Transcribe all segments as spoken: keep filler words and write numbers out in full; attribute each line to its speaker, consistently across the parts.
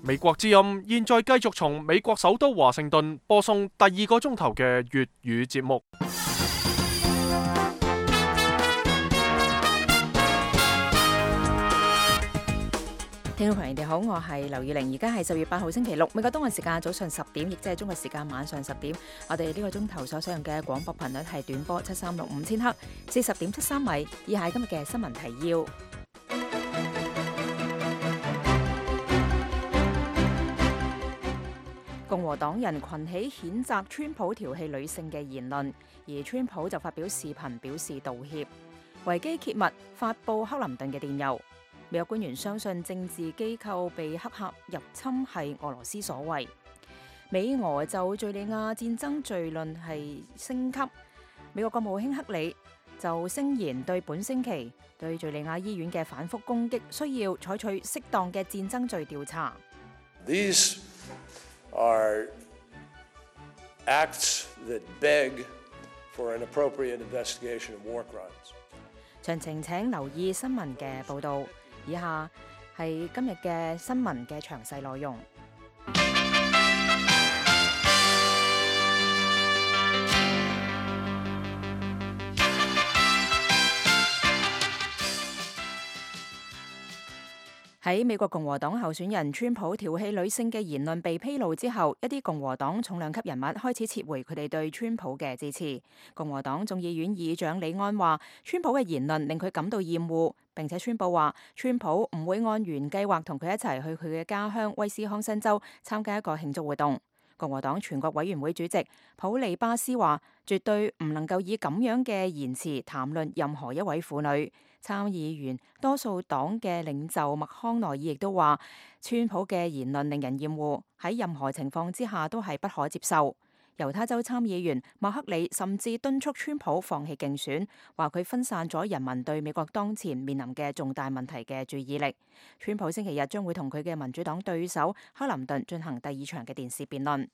Speaker 1: 美國之音現在繼續從美國首都華盛頓播送第二個鐘頭嘅粵語節目。
Speaker 2: 聽眾朋友，你好，我係劉宇玲，而家係十月八號星期六，美國東岸時間早上十點，亦即係中國時間晚上十點。我哋呢個鐘頭所使用嘅廣播頻率係短波七三六五千赫，四十點七三米。以下係今日嘅新聞提要。共和黨人群起譴責川普調戲女性嘅言論，而川普就發表視頻表示道歉。維基揭密發布克林頓嘅電郵。美國官員相信政治機構被黑客入侵係俄羅斯所為。美俄就敘利亞戰爭罪論係升級。美國國務卿克里就聲言對本星期對敘利亞醫院嘅反覆攻擊需要採取適當嘅戰爭罪調查。
Speaker 3: These are acts that beg for an appropriate investigation of war crimes.
Speaker 2: 詳情請留意新聞嘅報導。以下係今日嘅新聞嘅詳細內容。喺美國共和黨候選人川普調戲女性嘅言論被披露之後，一啲共和黨重量級人物開始撤回佢哋對川普嘅支持。共和黨眾議院議長李安話，川普嘅言論令佢感到厭惡，並且宣佈話川普唔會按原計劃同佢一齊去佢嘅家鄉威斯康辛州參加一個慶祝活動。共和黨全國委員會主席普利巴斯話，絕對唔能夠以咁樣嘅言辭談論任何一位婦女。參議員多數黨嘅領袖麥康奈爾亦都話，川普嘅言論令人厭惡，喺任何情況之下都係不可接受。猶他州參議員麥克里甚至敦促川普放棄競選，話佢分散咗人民對美國當前面臨嘅重大問題嘅注意力。川普星期日將會同佢嘅民主黨對手克林頓進行第二場嘅電視辯論。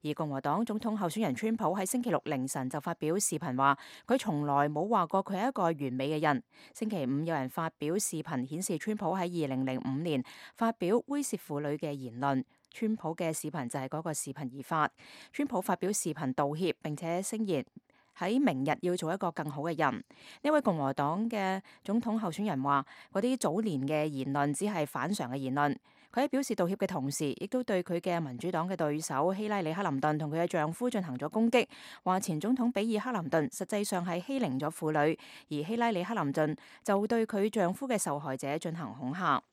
Speaker 2: 而共和黨總統候選人川普喺星期六凌晨就發表視頻話，佢從來冇話過佢係一個完美嘅人。星期五有人發表視頻顯示川普喺二零零五年發表猥褻婦女嘅言論。川普嘅視頻就係嗰個視頻而發。川普發表視頻道歉，並且聲言喺明日要做一個更好嘅人。呢位共和黨嘅總統候選人話，嗰啲早年嘅言論只係反常嘅言論。佢喺表示道歉嘅同時，亦都對佢嘅民主黨嘅對手希拉里克林頓同佢嘅丈夫進行咗攻擊，話前總統比爾克林頓實際上係欺凌咗婦女，而希拉里克林頓就對佢丈夫嘅受害者進行恐嚇。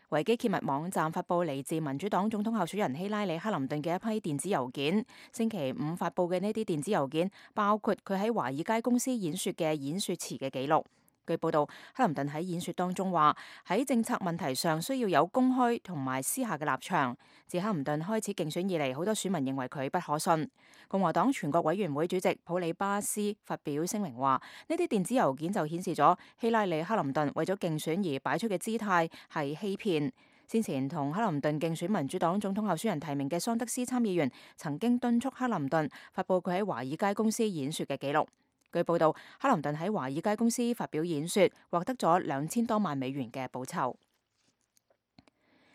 Speaker 2: 維基揭密網站發布嚟自民主黨總統候選人希拉里克林頓嘅一批電子郵件。星期五發布嘅呢啲電子郵件包括佢喺華爾街公司演說嘅演說詞嘅記錄。據報道，克林頓喺演說當中話，喺政策問題上需要有公開同埋私下嘅立場。自克林頓開始競選以嚟，好多選民認為佢不可信。共和黨全國委員會主席普里巴斯發表聲明話，呢啲電子郵件就顯示咗希拉里克林頓為咗競選而擺出嘅姿態係欺騙。先前同克林頓競選民主黨總統候選人提名嘅桑德斯參議員曾經敦促克林頓發布佢喺華爾街公司演說嘅記錄。據報道，克林頓喺華爾街公司發表演說，獲得咗兩千多萬美元嘅報酬。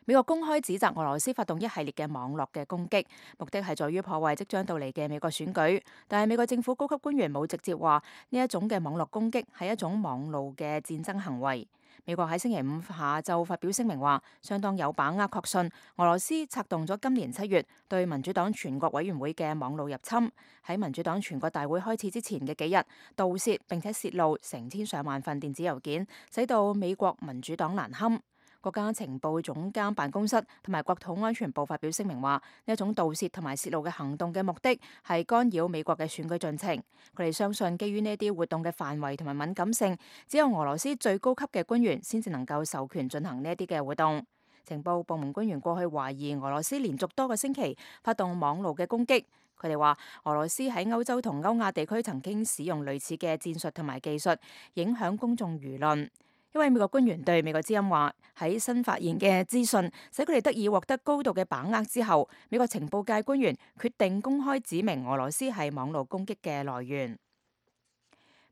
Speaker 2: 美國公開指責俄羅斯發動一系列嘅網絡嘅攻擊，目的係在於破壞即將到嚟嘅美國選舉。但係美國政府高級官員冇直接話呢一種嘅網絡攻擊係一種網路嘅戰爭行為。美國喺星期五下晝發表聲明話，相當有把握確信俄羅斯策動咗今年七月對民主黨全國委員會嘅網路入侵，喺民主黨全國大會開始之前嘅幾日盜竊並且泄露成千上萬份電子郵件，使到美國民主黨難堪。國家情報總監辦公室同埋國土安全部發表聲明話，呢一種盜竊同埋泄露嘅行動嘅目的係干擾美國嘅選舉進程。佢哋相信基於呢啲活動嘅範圍同埋敏感性，只有俄羅斯最高級嘅官員先至能夠授權進行呢一啲嘅活動。情報部門官員過去懷疑俄羅斯連續多個星期發動網路嘅攻擊。佢哋話俄羅斯喺歐洲同歐亞地區曾經使用類似嘅戰術同埋技術，影響公眾輿論。一位美國官員對美國之音話，喺新發現嘅資訊使佢哋得以獲得高度嘅把握之後，美國情報界官員決定公開指明俄羅斯係網絡攻擊嘅來源。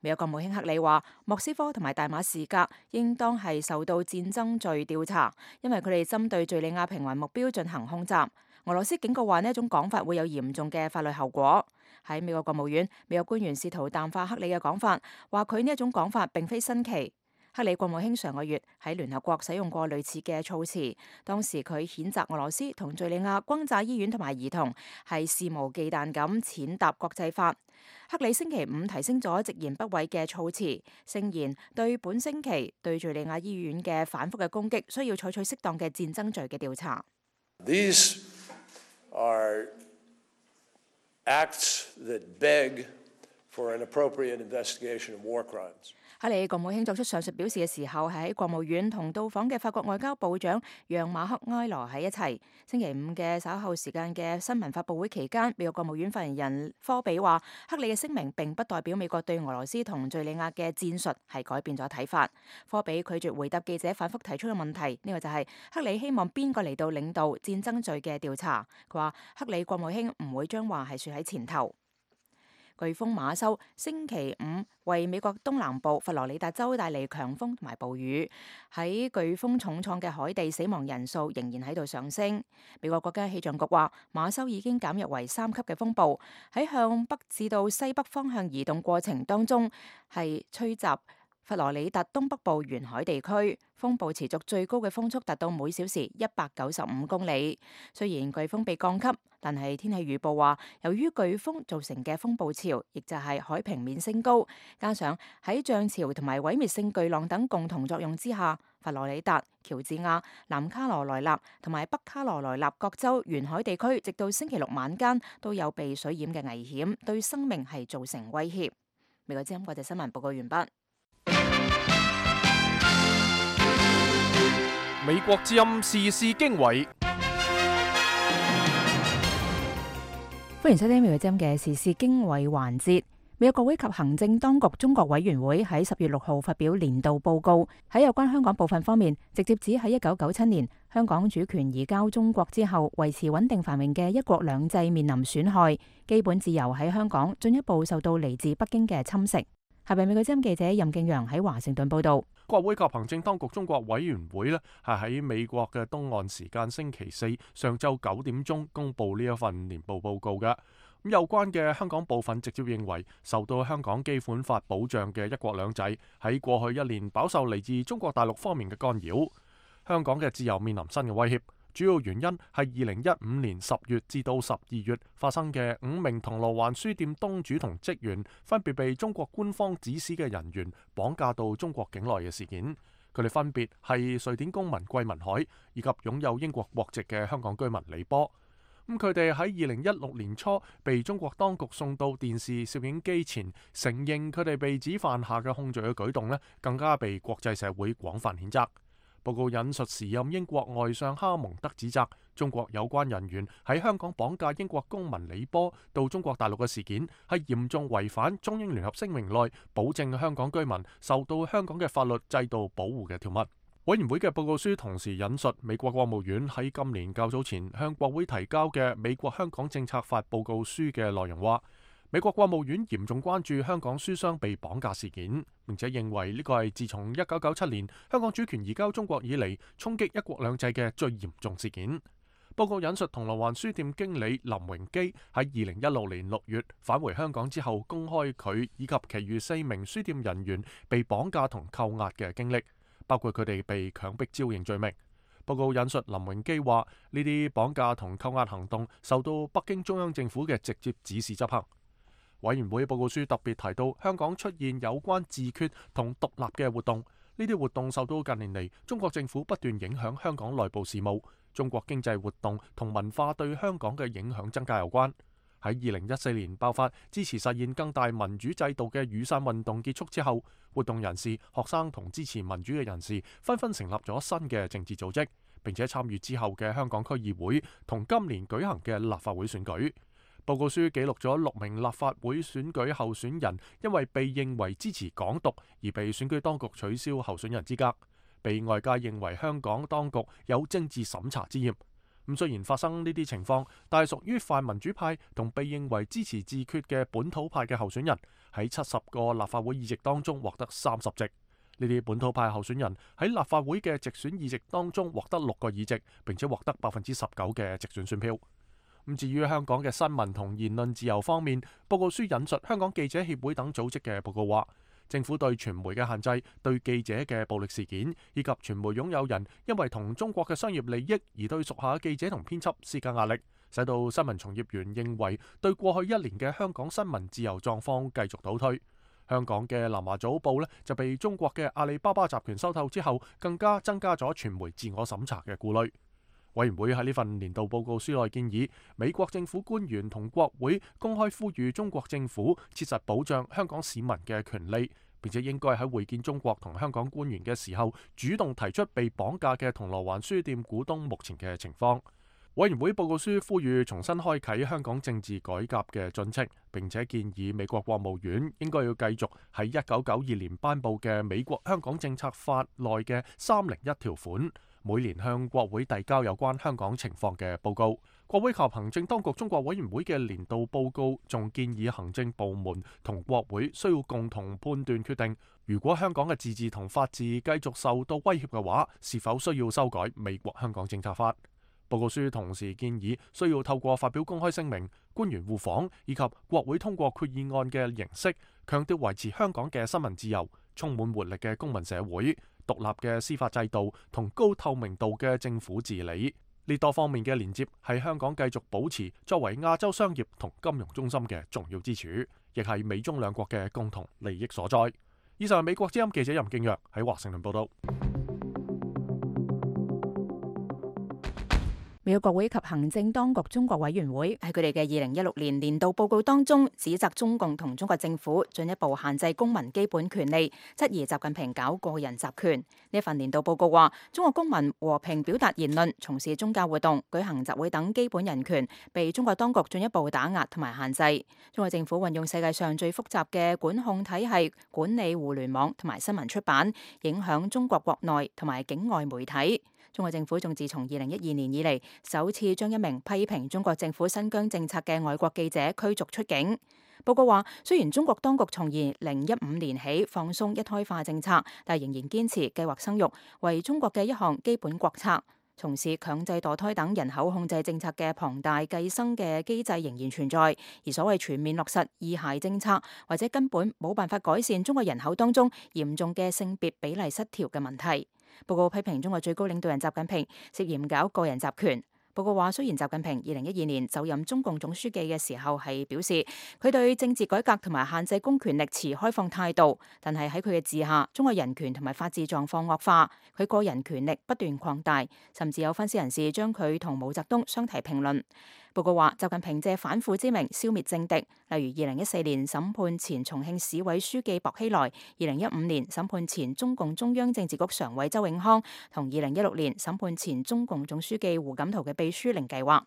Speaker 2: 美國國務卿克里話，莫斯科同埋大馬士革應當係受到戰爭罪調查，因為佢哋針對敘利亞平民目標進行空襲。俄羅斯警告話呢一種講法會有嚴重嘅法律後果。喺美國國務院，美國官員試圖淡化克里嘅講法，話佢呢一種講法並非新奇。克里國務卿上個月喺聯合國使用過類似嘅措辭，當時佢譴責俄羅斯同敘利亞轟炸醫院同埋兒童，係肆無忌憚咁踐踏國際法。克里星期五提升咗直言不諱嘅措辭，聲言對本星期對敘利亞醫院嘅反覆嘅攻擊，需要採取適當嘅戰爭罪嘅調查。
Speaker 3: These are acts that beg for an appropriate investigation of war crimes.
Speaker 2: 克里國務卿作出上述表示嘅時候，係喺國務院同到訪嘅法國外交部長讓馬克埃羅喺一齊。星期五嘅稍後時間嘅新聞發佈會期間，美國國務院發言人科比話，克里嘅聲明並不代表美國對俄羅斯同敘利亞嘅戰術係改變咗睇法。科比拒絕回答記者反覆提出嘅問題，呢個就係克里希望邊個嚟到領導戰爭罪嘅調查。佢話克里國務卿唔會將話係説喺前頭。颶風馬修星期五為美國東南部佛羅里達州帶嚟強風同埋暴雨，喺颶風重創嘅海地死亡人數仍然喺度上升。美國國家氣象局話，馬修已經減弱為三級嘅風暴，喺向北至到西北方向移動過程當中係吹襲佛羅里達東北部沿海地區，風暴持續最高嘅風速達到每小時一百九十五公里。雖然颶風被降級，但係天氣預報話，由於颶風造成嘅風暴潮，亦就係海平面升高，加上喺漲潮同埋毀滅性巨浪等共同作用之下，佛羅里達、喬治亞、南卡羅來納同埋北卡羅來納各州沿海地區，直到星期六晚間都有被水淹嘅危險，對生命係造成威脅。美國之音國際新聞報告完畢。
Speaker 1: 美國之音時事經緯，
Speaker 2: 歡迎收聽美國之音嘅時事經緯環節。美國國會及行政當局中國委員會喺十月六號發表年度報告，喺有關香港部分方面，直接指喺一九九七年香港主權移交中國之後，維持穩定繁榮嘅一國兩制面臨損害，基本自由喺香港進一步受到嚟自北京嘅侵蝕。下邊美國之音記者任敬陽喺華盛頓報道。
Speaker 1: 國會及行政當局中國委員會呢係喺美國嘅東岸時間星期四上晝九點鐘公布呢一份年度報告嘅。咁有關嘅香港部分直接認為，受到香港基本法保障嘅一國兩制喺過去一年飽受嚟自中國大陸方面嘅干擾，香港嘅自由面臨新嘅威脅。主要原因係二零一五年十月至到十二月發生嘅五名銅鑼灣書店東主同職員分別被中國官方指使嘅人員綁架到中國境內嘅事件。佢哋分別係瑞典公民桂民海以及擁有英國國籍嘅香港居民李波。咁佢哋喺二零一六年初被中國當局送到電視攝影機前，承認佢哋被指犯下嘅控罪嘅舉動呢，更加被國際社會廣泛譴責。報告引述時任英國外相哈蒙德指責中國有關人員喺香港綁架英國公民李波到中國大陸嘅事件，係嚴重違反中英聯合聲明內保證香港居民受到香港嘅法律制度保護嘅條文。委員會嘅報告書同時引述美國國務院喺今年較早前向國會提交嘅美國香港政策法報告書嘅內容話，美國國務院嚴重關注香港書商被綁架事件，並且認為呢個係自從一九九七年香港主權移交中國以嚟衝擊一國兩制嘅最嚴重事件。報告引述銅鑼灣書店經理林榮基喺二零一六年六月返回香港之後，公開佢以及其餘四名書店人員被綁架同扣押嘅經歷，包括佢哋被強迫招認罪名。報告引述林榮基話，呢啲綁架同扣押行動受到北京中央政府嘅直接指示執行。委員會報告書特別提到，香港出現有關自決同獨立嘅活動，呢啲活動受到近年嚟中國政府不斷影響香港內部事務、中國經濟活動同文化對香港嘅影響增加有關。喺二零一四年爆發支持實現更大民主制度嘅雨傘運動結束之後，活動人士、學生同支持民主嘅人士紛紛成立咗新嘅政治組織，並且參與之後嘅香港區議會同今年舉行嘅立法會選舉。報告書記錄咗六名立法會選舉候選人因為被認為支持港獨而被選舉當局取消候選人資格，被外界認為香港當局有政治審查之嫌。咁雖然發生呢啲情況，但係屬於泛民主派同被認為支持自決嘅本土派嘅候選人喺七十個立法會議席當中獲得三十席。呢啲本土派候選人喺立法會嘅直選議席當中獲得六個議席，並且獲得百分之十九嘅直選選票。咁至於香港嘅新聞同言論自由方面，報告書引述香港記者協會等組織嘅報告話，政府對傳媒嘅限制、對記者嘅暴力事件，以及傳媒擁有人因為同中國嘅商業利益而對屬下記者同編輯施加壓力，使到新聞從業員認為對過去一年嘅香港新聞自由狀況繼續倒退。香港嘅南華早報呢就被中國嘅阿里巴巴集團收購之後，更加增加咗傳媒自我審查嘅顧慮。委員會喺呢份年度報告書內建議，美國政府官員同國會公開呼籲中國政府切實保障香港市民嘅權利，並且應該喺會見中國同香港官員嘅時候，主動提出被綁架嘅銅鑼灣書店股東目前嘅情況。委員會報告書呼籲重新開啟香港政治改革嘅進程，並且建議美國國務院應該要繼續喺一九九二年頒布嘅美國香港政策法內嘅三零一條款，每年向國會遞交有關香港情況嘅報告。國會及行政當局中國委員會嘅年度報告仲建議行政部門同國會需要共同判斷決定，如果香港嘅自治同法治繼續受到威脅嘅話，是否需要修改美國香港政策法。報告書同時建議需要透過發表公開聲明、官員互訪以及國會通過決議案嘅形式，強調維持香港嘅新聞自由、充滿活力嘅公民社會、獨立嘅司法制度同高透明度嘅政府治理。呢多方面嘅連接係香港繼續保持作為亞洲商業同金融中心嘅重要支柱，亦係美中兩國嘅共同利益所在。以上係美國之音記者任敬若喺華盛頓報道。
Speaker 2: 美國國會及行政當局中國委員會喺佢哋嘅二零一六年年度報告當中，指責中共同中國政府進一步限制公民基本權利，質疑習近平搞個人集權。呢份年度報告話，中國公民和平表達言論、從事宗教活動、舉行集會等基本人權被中國當局進一步打壓同埋限制。中國政府運用世界上最複雜嘅管控體系管理互聯網同埋新聞出版，影響中國國內同埋境外媒體。中國政府仲自從二零一二年以嚟，首次將一名批評中國政府新疆政策嘅外國記者驅逐出境。報告話，雖然中國當局從二零一五年起放鬆一胎化政策，但仍然堅持計劃生育為中國嘅一項基本國策。從事強制墮胎等人口控制政策嘅龐大計生嘅機制仍然存在，而所謂全面落實二孩政策，或者根本冇辦法改善中國人口當中嚴重嘅性別比例失調嘅問題。報告批評中國最高領導人習近平涉嫌搞個人集權。報告話，雖然習近平二零一二年就任中共總書記嘅時候係表示佢對政治改革同埋限制公權力持開放態度，但係喺佢嘅治下，中國人權同埋法治狀況惡化，佢個人權力不斷擴大，甚至有分析人士將佢同毛澤東相提並論。報告話，習近平借反腐之名消滅政敵，例如二零一四年審判前重慶市委書記薄熙來，二零一五年審判前中共中央政治局常委周永康，同二零一六年審判前中共總書記胡錦濤嘅秘書令計劃。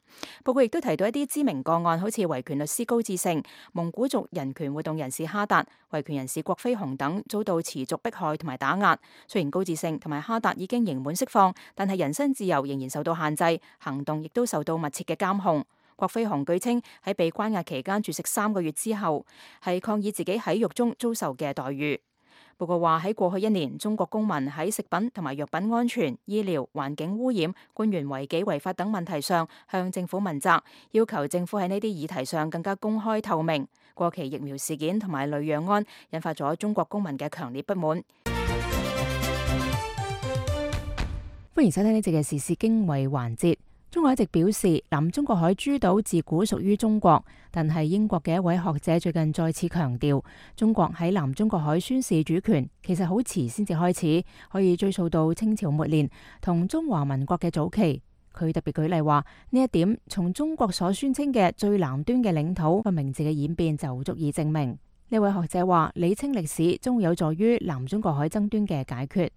Speaker 2: 報告亦都提到一啲知名個案，好似維權律師高志勝、蒙古族人權活動人士哈達、維權人士郭飛雄等遭到持續迫害同埋打壓。雖然高志勝同埋哈達已經刑滿釋放，但係人身自由仍然受到限制，行動亦都受到密切嘅監控。郭飛雄據稱喺被關押期間絕食三個月之後，係抗議自己喺獄中遭受嘅待遇。報告話，喺過去一年，中國公民喺食品同埋藥品安全、醫療、環境污染、官員違紀違法等問題上向政府問責，要求政府喺呢啲議題上更加公開透明。過期疫苗事件同埋雷洋案引發咗中國公民嘅強烈不滿。歡迎收聽呢節嘅時事經緯環節。中國一直表示南中國海諸島自古屬於中國，但係英國嘅一位學者最近再次強調，中國喺南中國海宣示主權其實好遲先至開始，可以追溯到清朝末年同中華民國嘅早期。佢特別舉例話，呢一點從中國所宣稱嘅最南端嘅領土個名字嘅演變就足以證明。呢位學者話，理清歷史將會有助於南中國海爭端嘅解決。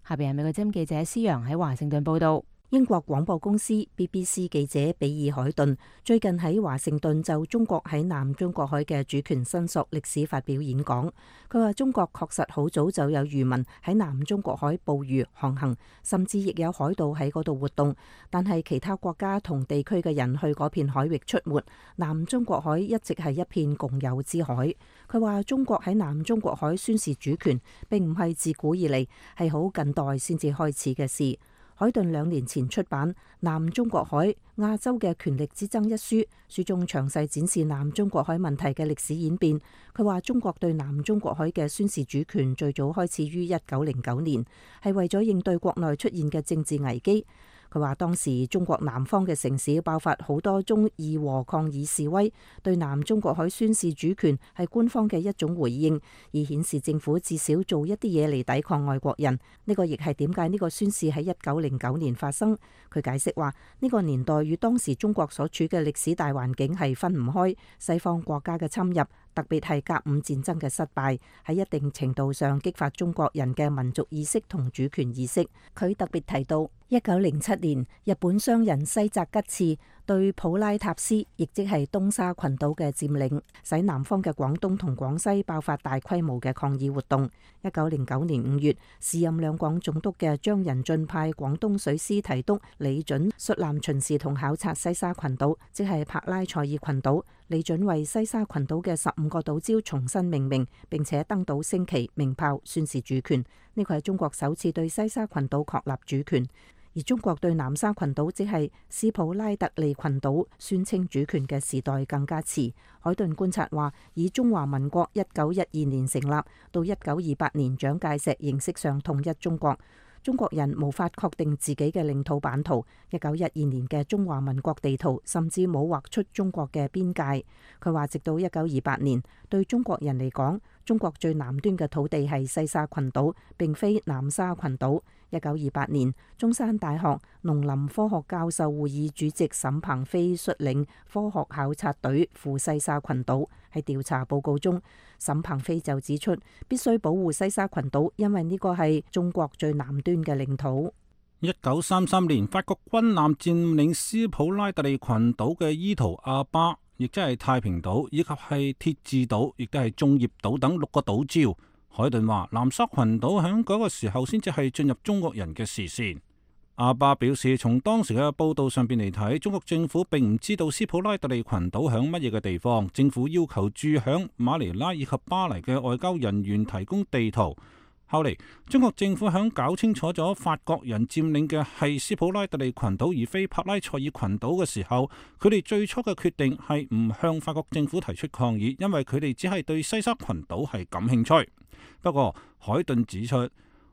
Speaker 2: 下邊係美國之音記者施洋喺華盛頓報道。
Speaker 4: 英國廣播公司 B B C 記者比爾海頓最近喺華盛頓就中國喺南中國海嘅主權申索歷史發表演講。佢話中國確實好早就有漁民喺南中國海捕魚航行，甚至亦有海盜喺嗰度活動，但係其他國家同地區嘅人去嗰片海域出沒，南中國海一直係一片共有之海。佢話中國喺南中國海宣示主權並唔係自古以嚟，係好近代先至開始嘅事。海頓兩年前出版《南中國海：亞洲嘅權力之爭》一書，書中詳細展示南中國海問題嘅歷史演變。佢話中國對南中國海嘅宣示主權最早開始於一九零九年，係為咗應對國內出現嘅政治危機。佢話當時中國南方嘅城市爆發好多宗義和抗議示威，對南中國海宣示主權係官方嘅一種回應，以顯示政府至少做一啲嘢嚟抵抗外國人。呢個亦係點解呢個宣示喺一九零九年發生。佢解釋話呢個年代與當時中國所處嘅歷史大環境係分唔開，西方國家嘅侵入，特別係甲午戰爭嘅失敗，喺一定程度上激發中國人嘅民族意識同主權意識。佢特別提到一九零七年日本商人西澤吉次對普拉塔斯，亦即係東沙群島嘅佔領，使南方嘅廣東同廣西爆發大規模嘅抗議活動。一九零九年五月，時任兩廣總督嘅張仁俊派廣東水師提督李準率艦巡視同考察西沙群島，即係柏拉賽爾群島。李準為西沙群島嘅十五個島礁重新命名，並且登島升旗鳴炮宣示主權。呢個係中國首次對西沙群島確立主權。而中國對南沙群島，即係斯普拉特利群島宣稱主權嘅時代更加遲。海頓觀察話，以中華民國一九一二年成立到一九二八年蔣介石形式上統一中國，中國人無法確定自己嘅領土版圖。一九一二年嘅中華民國地圖甚至冇畫出中國嘅邊界。佢話直到一九二八年，對中國人嚟講，中國最南端嘅土地係西沙群島，並非南沙群島。一九二八年，中山大學農林科學教授會議主席沈鵬飛率領科學考察隊赴西沙群島。喺調查報告中，沈鵬飛就指出，必須保護西沙群島，因為呢個係中國最南端嘅領土。
Speaker 5: 一九三三年，法國軍艦佔領斯普拉特利群島嘅伊圖阿巴，亦即係太平島，以及係鐵治島，亦都係眾業島等六個島礁。海頓話，南沙群島喺嗰個時候先至係進入中國人嘅視線。阿巴表示，從當時嘅報道上邊嚟睇，中國政府並唔知道斯普拉特利群島響乜嘢嘅地方。政府要求駐響馬尼拉以及巴黎嘅外交人員提供地圖。後嚟，中國政府響搞清楚咗法國人佔領嘅係斯普拉特利群島而非柏拉賽爾群島嘅時候，佢哋最初嘅決定係唔向法國政府提出抗議，因為佢哋只係對西沙群島係感興趣。不過，海頓指出，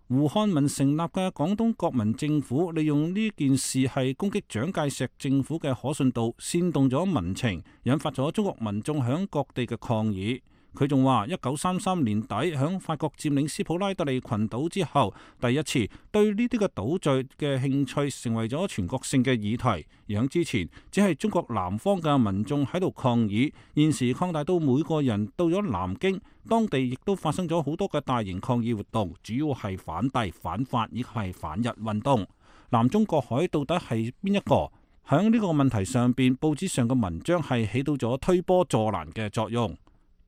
Speaker 5: 胡漢民成立嘅廣東國民政府利用呢件事係攻擊蔣介石政府嘅可信度，煽動咗民情，引發咗中國民眾響各地嘅抗議。佢仲話，一九三三年底響法國佔領斯普拉特利群島之後，第一次對呢啲嘅島嶼嘅興趣成為咗全國性嘅議題。而響之前，只係中國南方嘅民眾喺度抗議，現時擴大到每個人到咗南京，當地亦都發生咗好多嘅大型抗議活動，主要係反帝、反法以及係反日運動。南中國海到底係邊一個？響呢個問題上邊，報紙上嘅文章係起到咗推波助瀾嘅作用。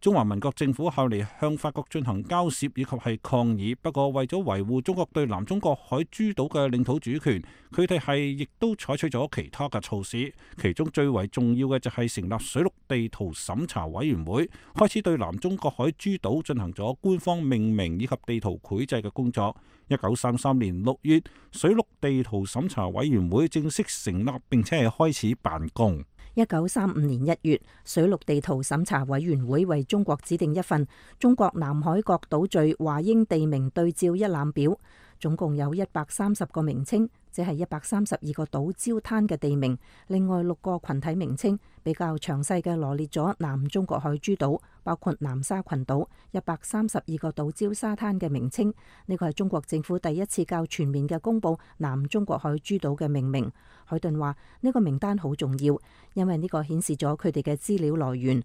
Speaker 5: 中華民國政府後嚟向法國進行交涉以及係抗議，不過為咗維護中國對南中國海諸島嘅領土主權，佢哋係亦都採取咗其他嘅措施。其中最為重要嘅就係成立水陸地圖審查委員會，開始對南中國海諸島進行咗官方命名以及地圖繪製嘅工作。一九三三年六月，水陸地圖審查委員會正式成立，並且係開始辦公。
Speaker 4: 一九三五年一月，水陸地圖審查委員會為中國指定一份《中國南海各島嶼華英地名對照一覽表》，總共有一百三十個名稱，即係一百三十二個島礁灘嘅地名。另外六個群體名稱比較詳細嘅羅列咗南中國海諸島，包括南沙群島一百三十二個島礁沙灘嘅名稱。呢個係中國政府第一次較全面嘅公布南中國海諸島嘅命名。海頓話呢個名單好重要，因為呢個顯示咗佢哋嘅資料來源。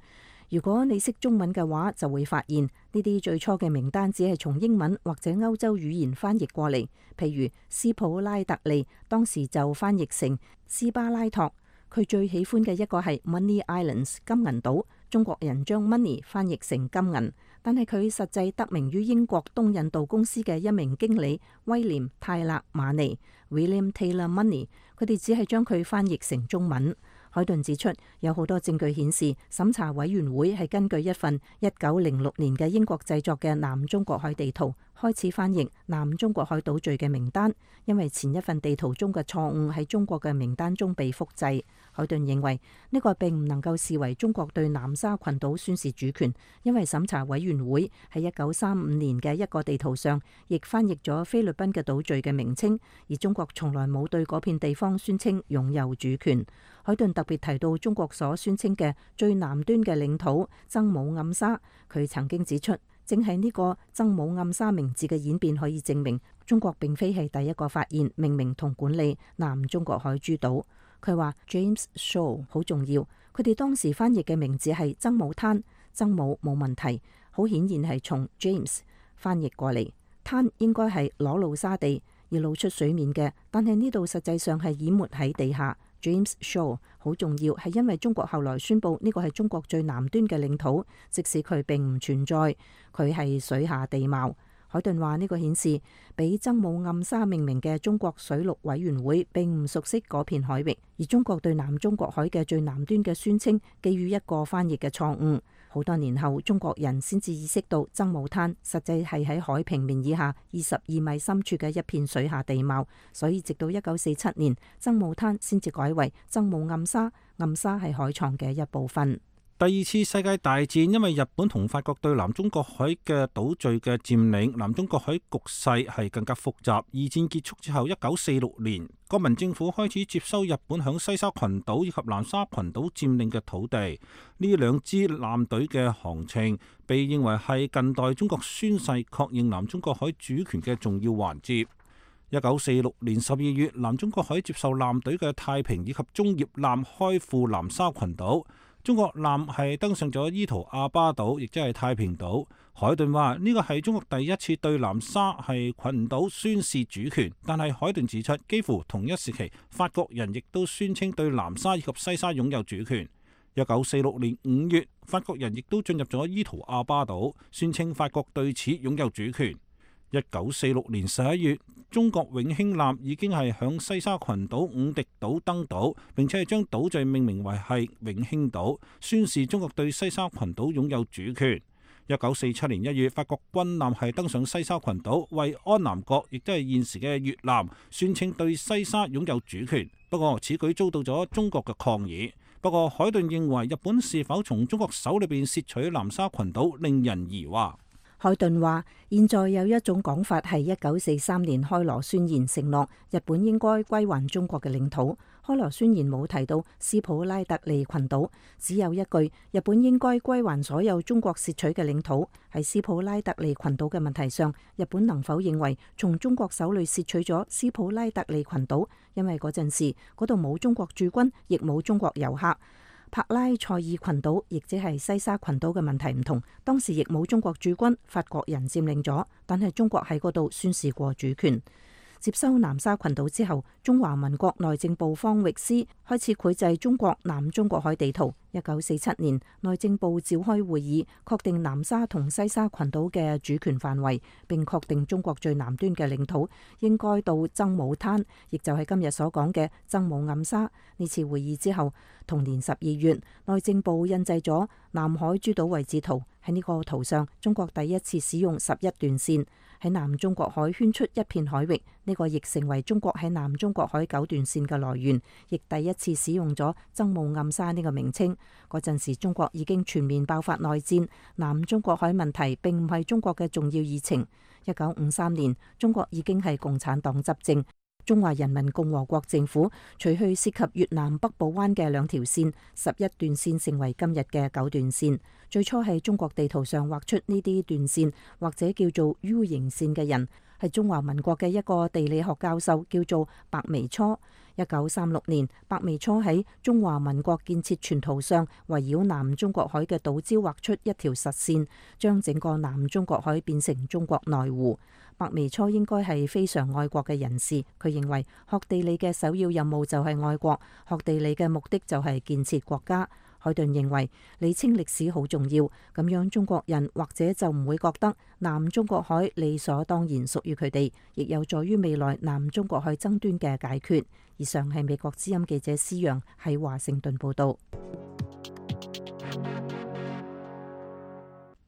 Speaker 4: 如果你識中文嘅話，就會發現呢啲最初嘅名單只係從英文或者歐洲語言翻譯過嚟。譬如斯普拉特利當時就翻譯成斯巴拉托，佢最喜歡嘅一個係 Money Islands 金銀島，中國人將 money 翻譯成金銀，但係佢實際得名於英國東印度公司嘅一名經理威廉泰勒馬尼 William Taylor Money， 佢哋只係將佢翻譯成中文。海頓指出，有好多證據顯示審查委員會係根據一份一九零六年嘅英國製作嘅南中國海地圖開始翻譯南中國海島嶼嘅名單，因為前一份地圖中嘅錯誤喺中國嘅名單中被複製。海頓認為呢個並唔能夠視為中國對南沙群島宣示主權，因為審查委員會喺一九三五年嘅一個地圖上亦翻譯咗菲律賓嘅島嶼嘅名稱，而中國從來冇對嗰片地方宣稱擁有主權。海頓特別提到中國所宣稱嘅最南端嘅領土曾母暗沙，佢曾經指出，正係呢個曾母暗沙名字嘅演變可以證明中國並非係第一個發現、命名同管理南中國海諸島。佢話 James Shaw 好重要，佢哋當時翻譯嘅名字係曾母灘，曾母冇問題，好顯然係從 James 翻譯過嚟。灘應該係裸露沙地而露出水面嘅，但係呢度實際上係淹沒喺地下。James Shaw 好重要，係因為中國後來宣布呢個係中國最南端嘅領土，即使佢並唔存在，佢係水下地貌。海頓話呢個顯示，俾曾母暗沙命名嘅中國水陸委員會並唔熟悉嗰片海域，而中國對南中國海嘅最南端嘅宣稱基於一個翻譯嘅錯誤。好多年後，中國人先至意識到曾母灘實際係喺海平面以下二十二米深處嘅一片水下地貌，所以直到一九四七年，曾母灘先至改為曾母暗沙，暗沙係海床嘅一部分。
Speaker 5: 第二次世界大戰因為日本同法國對南中國海嘅島嶼嘅佔領，南中國海局勢係更加複雜。二戰結束之後，一九四六年，國民政府開始接收日本響西沙群島以及南沙群島佔領嘅土地。呢兩支艦隊嘅航程被認為係近代中國宣誓確認南中國海主權嘅重要環節。一九四六年十二月，南中國海接受艦隊嘅太平以及中葉艦開赴南沙群島。中國艦係登上咗伊圖阿巴島，亦即係太平島。海頓話呢個係中國第一次對南沙係群島宣示主權，但係海頓指出，幾乎同一時期，法國人亦都宣稱對南沙以及西沙擁有主權。一九四六年五月，法國人亦都進入咗伊圖阿巴島，宣稱法國對此擁有主權。一九四六年十一月，中國永興艦已經係響西沙群島五敵島登島，並且係將島嶼命名為係永興島，宣示中國對西沙群島擁有主權。一九四七年一月，法國軍艦係登上西沙群島，為安南國，亦都係現時嘅越南，宣稱對西沙擁有主權。不過此舉遭到咗中國嘅抗議。不過海頓認為，日本是否從中國手裏邊竊取南沙群島，令人疑惑。
Speaker 4: 海頓話：現在有一種講法係一九四三年開羅宣言承諾日本應該歸還中國嘅領土。開羅宣言冇提到斯普拉特利群島，只有一句日本應該歸還所有中國竊取嘅領土。喺斯普拉特利群島嘅問題上，日本能否認為從中國手裏竊取咗斯普拉特利群島？因為嗰陣時嗰度冇中國駐軍，亦冇中國遊客。帕拉塞爾群島，亦即係西沙群島嘅問題唔同，當時亦冇中國駐軍，法國人佔領咗，但係中國喺嗰度宣示過主權。接收南沙群島之後，中華民國內政部方域司開始繪製中國南中國海地圖。一九四七年，內政部召開會議，確定南沙同西沙群島嘅主權範圍，並確定中國最南端嘅領土應該到曾母灘，亦就係今日所講嘅曾母暗沙。呢次會議之後，同年十二月，內政部印製咗南海諸島位置圖。喺呢個圖上，中國第一次使用十一段線喺南中國海圈出一片海域，呢個亦成為中國喺南中國海九段線嘅來源，亦第一次使用咗曾母暗沙呢個名稱。嗰陣時，中國已經全面爆發內戰，南中國海問題並唔係中國嘅重要議程。一九五三年，中國已經係共產黨執政。中華人民共和國政府除去涉及越南北部灣嘅兩條線，十一段線成為今日嘅九段線。最初喺中國地圖上畫出呢啲段線或者叫做 U 型線嘅人，係中華民國嘅一個地理學教授，叫做白眉初。一九三六年，白眉初喺中華民國建設全圖上圍繞南中國海嘅島礁畫出一條實線，將整個南中國海變成中國內湖。白眉初應該係非常愛國嘅人士，佢認為學地理嘅首要任務就係愛國，學地理嘅目的就係建設國家。海頓認為理清歷史好重要，咁樣中國人或者就唔會覺得南中國海理所當然屬於佢哋，亦有助於未來南中國海爭端嘅解決。以上係美國之音記者施陽喺華盛頓報道。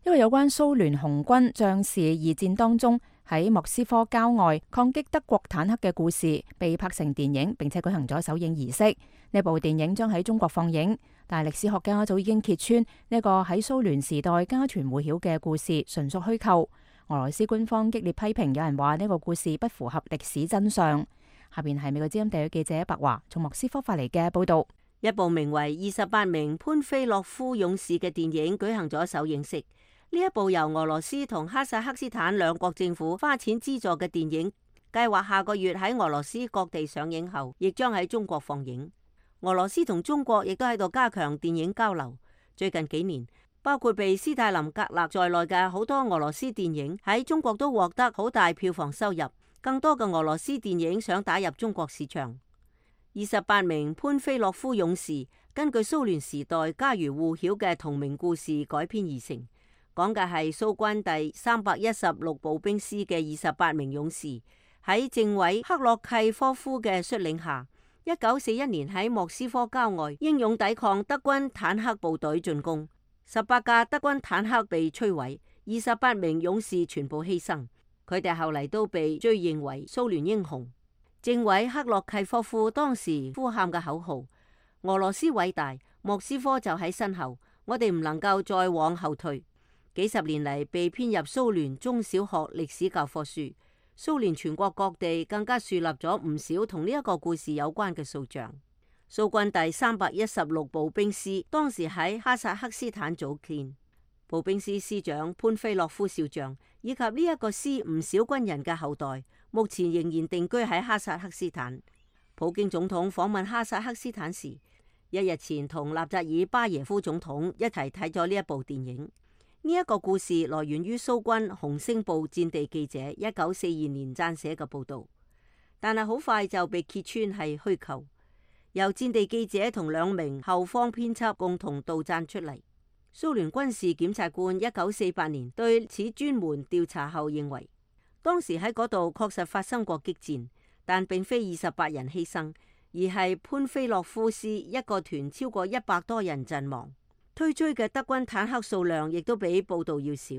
Speaker 2: 一個有關蘇聯紅軍將士二戰當中喺莫斯科郊外抗擊德國坦克嘅故事被拍成電影，並且舉行咗首映儀式。呢部電影將喺中國放映，但係歷史學家早已經揭穿呢個喺蘇聯時代家傳戶曉嘅故事純屬虛構。俄羅斯官方激烈批評，有人話呢個故事不符合歷史真相。下邊係美國之音地區記者白華從莫斯科發嚟嘅報道。
Speaker 6: 一部名為《二十八名潘菲洛夫勇士》嘅電影舉行咗首映式。呢一部由俄羅斯同哈薩克斯坦兩國政府花錢資助嘅電影，計劃下個月喺俄羅斯各地上映後，亦將喺中國放映。俄羅斯同中國亦都喺度加強電影交流。最近幾年，包括被斯大林格勒在內嘅好多俄羅斯電影喺中國都獲得好大票房收入。更多嘅俄羅斯電影想打入中國市場。二十八名潘菲洛夫勇士根據蘇聯時代家喻戶曉嘅同名故事改編而成，講嘅係蘇軍第三百一十六步兵師嘅二十八名勇士喺政委克洛契科夫嘅率領下，一九四一年喺莫斯科郊外英勇抵抗德軍坦克部隊進攻，十八架德軍坦克被摧毀，二十八名勇士全部犧牲，佢哋後嚟都被追認為蘇聯英雄。政委克洛契科夫當時呼喊嘅口號：俄羅斯偉大，莫斯科就喺身後，我哋唔能夠再往後退。幾十年嚟被編入蘇聯中小學歷史教科書。蘇聯全國各地更加樹立咗唔少同呢一個故事有關嘅塑像。蘇軍第三百一十六步兵師當時喺哈薩克斯坦組建，步兵師師長潘菲洛夫少將以及呢一個師唔少軍人嘅後代，目前仍然定居喺哈薩克斯坦。普京總統訪問哈薩克斯坦時，一日前同納扎爾巴耶夫總統一齊睇咗呢一部電影。呢一個故事來源於蘇軍紅星報戰地記者一九四二年撰寫嘅報道，但係好快就被揭穿係虛構，由戰地記者同兩名後方編輯共同杜撰出嚟。蘇聯軍事檢察官一九四八年對此專門調查後認為，當時喺嗰度確實發生過激戰，但並非二十八人犧牲，而係潘菲洛夫師一個團超過一百多人陣亡。推追嘅德軍坦克數量亦都比報道要少。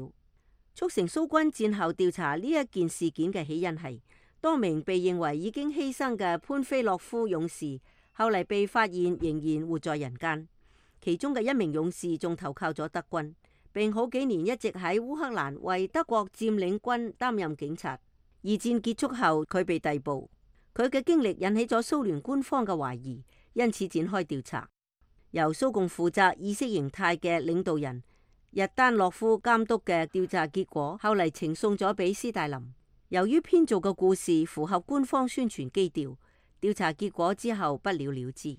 Speaker 6: 促成蘇軍戰後調查呢一件事件嘅起因係，多名被認為已經犧牲嘅潘菲洛夫勇士，後嚟被發現仍然活在人間。其中嘅一名勇士仲投靠咗德軍，並好幾年一直喺烏克蘭為德國佔領軍擔任警察。二戰結束後，佢被逮捕，佢嘅經歷引起咗蘇聯官方嘅懷疑，因此展開調查。由蘇共負責意識形態嘅領導人日丹諾夫監督嘅調查結果，後嚟呈送咗俾斯大林。由於編造嘅故事符合官方宣傳基調，調查結果之後不了了之。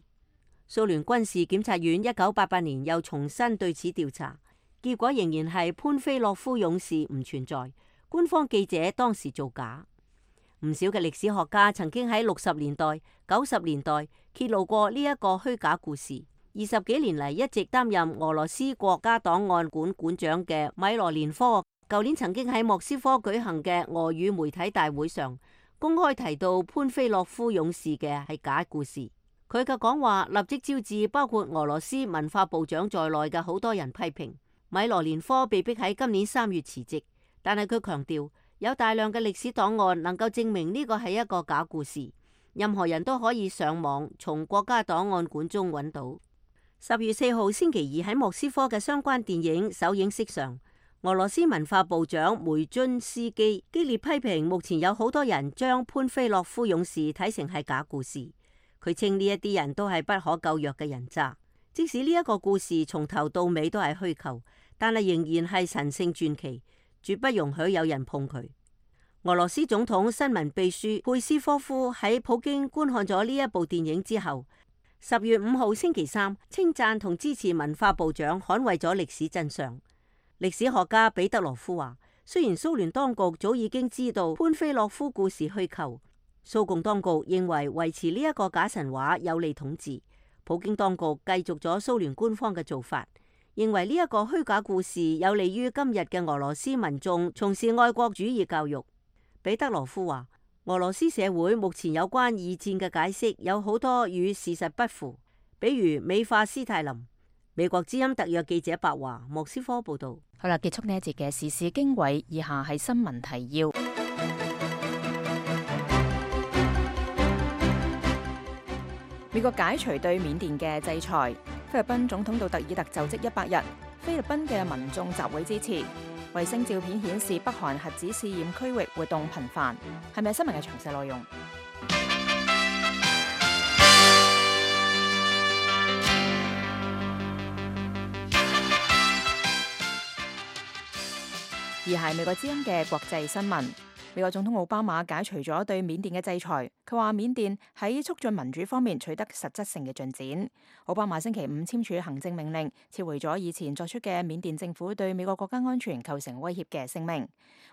Speaker 6: 蘇聯軍事檢察院一九八八年又重新對此調查，結果仍然係潘菲洛夫勇士唔存在，官方記者當時造假。唔少嘅歷史學家曾經喺六十年代、九十年代揭露過呢一個虛假故事。二十幾年嚟一直擔任俄羅斯國家檔案館館長嘅米羅連科，舊年曾經喺莫斯科舉行嘅俄語媒體大會上，公開提到潘菲洛夫勇士嘅係假故事。佢嘅講話立即招致包括俄羅斯文化部長在內嘅好多人批評。米羅連科被逼喺今年三月辭職，但係佢強調有大量嘅歷史檔案能夠證明呢個係一個假故事，任何人都可以上網從國家檔案館中揾到。十月四號星期二喺莫斯科嘅相關電影首映式上，俄羅斯文化部長梅津斯基激烈批評目前有好多人將潘菲洛夫勇士睇成係假故事。佢稱呢一啲人都係不可救藥嘅人渣，即使呢一個故事從頭到尾都係虛構，但係仍然係神聖傳奇，絕不容許有人碰佢。俄羅斯總統新聞秘書佩斯科夫喺普京觀看咗呢一部電影之後，十月五號星期三稱讚同支持文化部長捍衛咗歷史真相。歷史學家彼得羅夫話，雖然蘇聯當局早已經知道潘菲洛夫故事虛構，蘇共當局認為維持呢一個假神話有利統治，普京當局繼續咗蘇聯官方嘅做法，認為呢一個虛假故事有利於今日嘅俄羅斯民眾從事愛國主義教育。彼得羅夫話，俄羅斯社會目前有關二戰嘅解釋有好多與事實不符，比如美化斯大林。美國之音特約記者白華莫斯科報道。
Speaker 2: 好啦，結束呢一節嘅時事經緯，以下係新聞提要。美國解除對緬甸嘅制裁，菲律賓總統杜特爾特就職一百日，菲律賓嘅民眾集會支持。衛星照片顯示北韓核子試驗區域活動頻繁，係咪新聞嘅詳細內容？而係美國之音嘅國際新聞。美國總統奧巴馬解除咗對緬甸嘅制裁，佢話緬甸喺促進民主方面取得實質性嘅進展。奧巴馬星期五簽署行政命令，撤回咗以前作出嘅緬甸政府對美國國家安全構成威脅嘅聲明。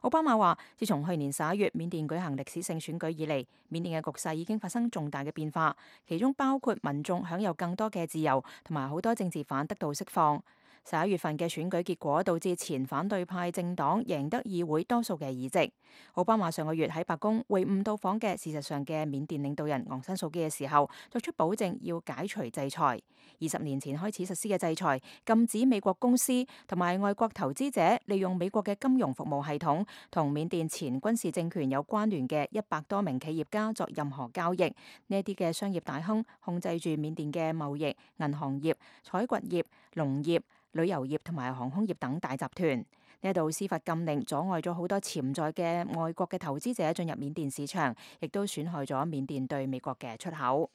Speaker 2: 奧巴馬話，自從去年十一月緬甸舉行歷史性選舉以嚟，緬甸嘅局勢已經發生重大嘅變化，其中包括民眾享有更多嘅自由，同埋好多政治犯得到釋放。十一月份嘅選舉結果導致前反對派政黨贏得議會多數嘅議席。奧巴馬上個月喺白宮會晤到訪嘅事實上嘅緬甸領導人昂山素基嘅時候，作出保證要解除制裁。二十年前開始實施嘅制裁，禁止美國公司同埋外國投資者利用美國嘅金融服務系統同緬甸前軍事政權有關聯嘅一百多名企業家作任何交易。呢啲嘅商業大亨控制住緬甸嘅貿易、銀行業、採掘業、農業、旅遊業同埋航空業等大集團。呢度司法禁令阻礙咗好多潛在嘅外國嘅投資者進入緬甸市場，亦都損害咗緬甸對美國嘅出口。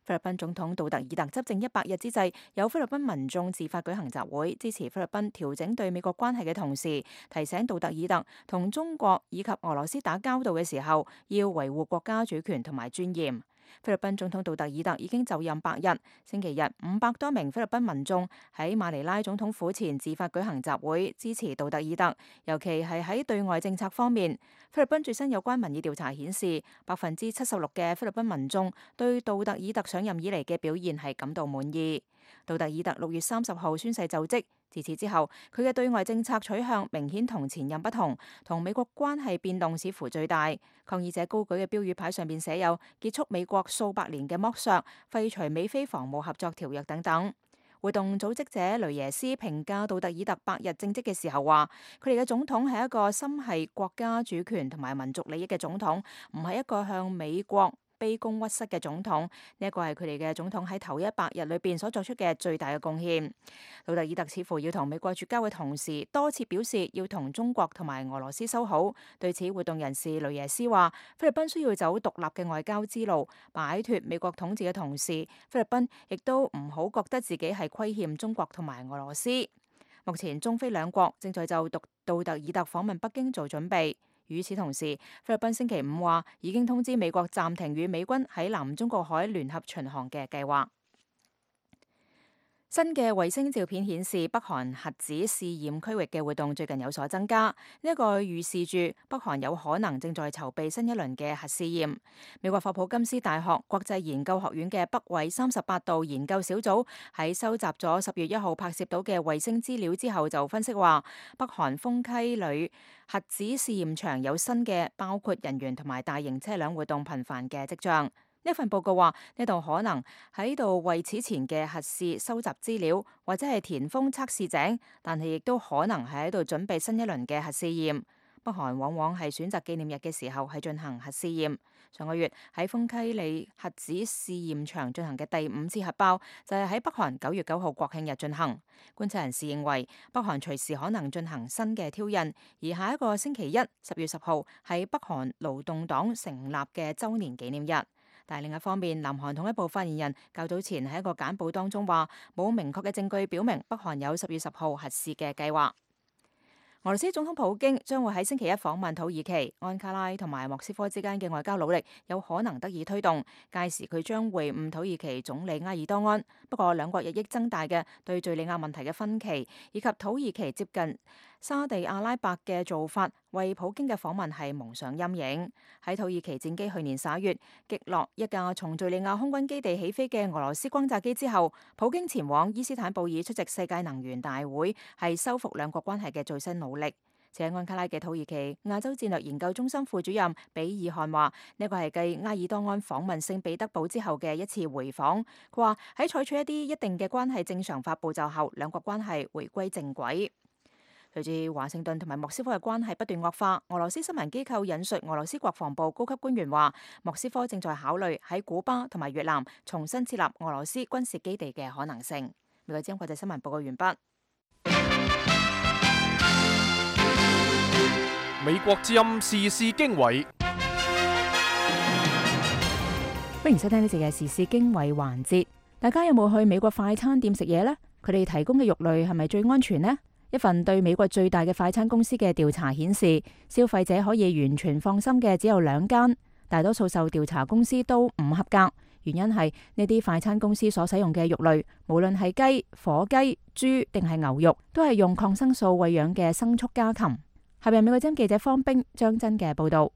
Speaker 2: 菲律賓總統杜特爾特執政一百日之際，有菲律賓民眾自發舉行集會，支持菲律賓調整對美國關係嘅同時，提醒杜特爾特同中國以及俄羅斯打交道嘅時候，要維護國家主權同埋尊嚴。菲律賓總統杜特爾特已經就任百日，星期日五百多名菲律賓民眾喺馬尼拉總統府前自發舉行集會，支持杜特爾特，尤其係喺對外政策方面。菲律賓最新有關民意調查顯示，百分之七十六嘅菲律賓民眾對杜特爾特上任以嚟嘅表現係感到滿意。杜特爾特六月三十號宣誓就職。自此之後，佢嘅對外政策取向明顯同前任不同，同美國關係變動似乎最大。抗議者高舉嘅標語牌上面寫有結束美國數百年嘅剝削、廢除美菲防務合作條約等等。活動組織者雷耶斯評價杜特爾特百日政績嘅時候話，佢哋嘅總統係一個心繫國家主權同埋民族利益嘅總統，唔係一個向美國卑躬屈膝嘅總統。呢一個係佢哋嘅總統喺頭一百日裏邊所作出嘅最大嘅貢獻。杜特爾特似乎要同美國絕交嘅同時，多次表示要同中國同埋俄羅斯修好。對此，活動人士雷耶斯話，菲律賓需要走獨立嘅外交之路，擺脫美國統治嘅同時，菲律賓亦都唔好覺得自己係虧欠中國同埋俄羅斯。目前中菲兩國正在就杜杜特爾特訪問北京做準備。與此同時，菲律賓星期五話已經通知美國暫停與美軍喺南中國海聯合巡航嘅計劃。新嘅衛星照片顯示，北韓核子試驗區域嘅活動最近有所增加，呢、這、一個預示住北韓有可能正在籌備新一輪嘅核試驗。美國霍普金斯大學國際研究學院嘅北緯三十八度研究小組喺收集咗十月一號拍攝到嘅衛星資料之後，就分析話，北韓豐溪里核子試驗場有新嘅包括人員同埋大型車輛活動頻繁嘅跡象。呢份報告話，呢度可能喺度為此前嘅核試收集資料，或者係填豐測試井，但係亦都可能係喺度準備新一輪嘅核試驗。北韓往往係選擇紀念日嘅時候係進行核試驗。上個月喺豐溪里核子試驗場進行嘅第五次核爆，就係喺北韓九月九號國慶日進行。觀察人士認為，北韓隨時可能進行新嘅挑釁，而下一個星期一十月十號係北韓勞動黨成立嘅週年紀念日。但係另一方面，南韓統一部發言人較早前喺一個簡報當中話，冇明確嘅證據表明北韓有十月十號核試嘅計劃。俄羅斯總統普京將會喺星期一訪問土耳其，安卡拉同埋莫斯科之間嘅外交努力有可能得以推動。屆時佢將會晤土耳其總理埃爾多安。不過兩國日益增大嘅對敘利亞問題嘅分歧，以及土耳其接近沙地阿拉伯嘅做法，為普京嘅訪問係蒙上陰影。喺土耳其戰機去年十一月擊落一架從敘利亞空軍基地起飛嘅俄羅斯轟炸機之後，普京前往伊斯坦布爾出席世界能源大會，係修復兩國關係嘅最新努力。且安卡拉嘅土耳其亞洲戰略研究中心副主任比爾漢話：呢個係繼埃爾多安訪問聖彼得堡之後嘅一次回訪。佢話喺採取一啲一定嘅關係正常化步驟後，兩國關係回歸正軌。隨住華盛頓同埋莫斯科嘅關係不斷惡化，俄羅斯新聞機構引述俄羅斯國防部高級官員話：莫斯科正在考慮喺古巴同埋越南重新設立俄羅斯軍事基地嘅可能性。美國之音國際新聞報告完畢。
Speaker 1: 美國之音時事經緯，
Speaker 2: 歡迎收聽呢節嘅時事經緯環節。大家有冇去美國快餐店食嘢呢？佢哋提供嘅肉類係咪最安全呢？一份對美國最大嘅快餐公司嘅調查顯示，消費者可以完全放心嘅只有兩間，大多數受調查公司都唔合格。原因係呢啲快餐公司所使用嘅肉類，無論係雞、火雞、豬定係牛肉，都係用抗生素餵養嘅牲畜家禽。下邊美國之音記者方冰張真嘅報道。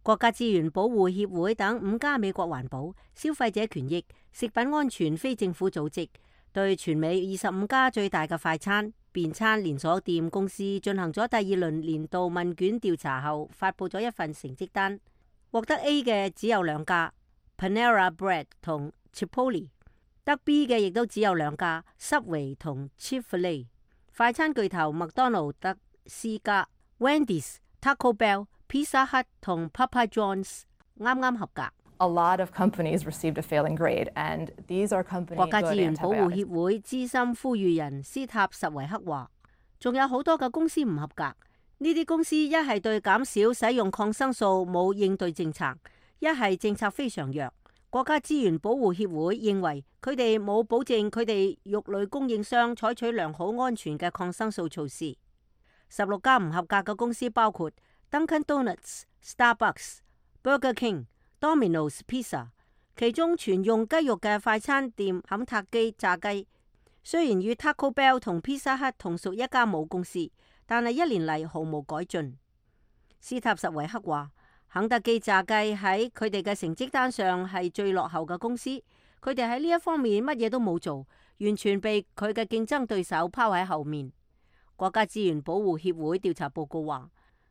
Speaker 6: 國家資源保護協會等五家美國環保、消費者權益、食品安全非政府組織對全美二十五家最大嘅快餐、便餐連鎖店公司進行咗第二輪年度問卷調查後，發佈咗一份成績單。獲得 A 嘅只有兩家 Panera Bread 同 Chipotle， 得 B 嘅亦都只有兩家 Subway 同 Chick-fil-A。快餐巨頭麥當勞得 C 家。Wendy's、Taco Bell、Pizza Hut 同 Papa John's 啱啱合格。
Speaker 7: A lot of companies received a failing grade, and these are companies.
Speaker 6: 國家資源保護協會資深呼籲人斯塔什維克話，仲有好多嘅公司唔合格。呢啲公司一係對減少使用抗生素冇應對政策，一係政策非常弱。國家資源保護協會認為佢哋冇保證佢哋肉類供應商採取良好安全嘅抗生素措施。十六家唔合格嘅公司包括 Dunkin' Donuts、Starbucks、Burger King、Domino's Pizza， 其中全用雞肉嘅快餐店肯塔基炸雞，雖然與 Taco Bell 同 Pizza Hut 同屬一家母公司，但係一年嚟毫無改進。斯塔什維克話，肯德基炸雞喺佢哋嘅成績單上係最落後嘅公司，佢哋喺呢一方面乜嘢都冇做，完全被佢嘅競爭對手拋喺後面。國家資源保護協會調查報告話，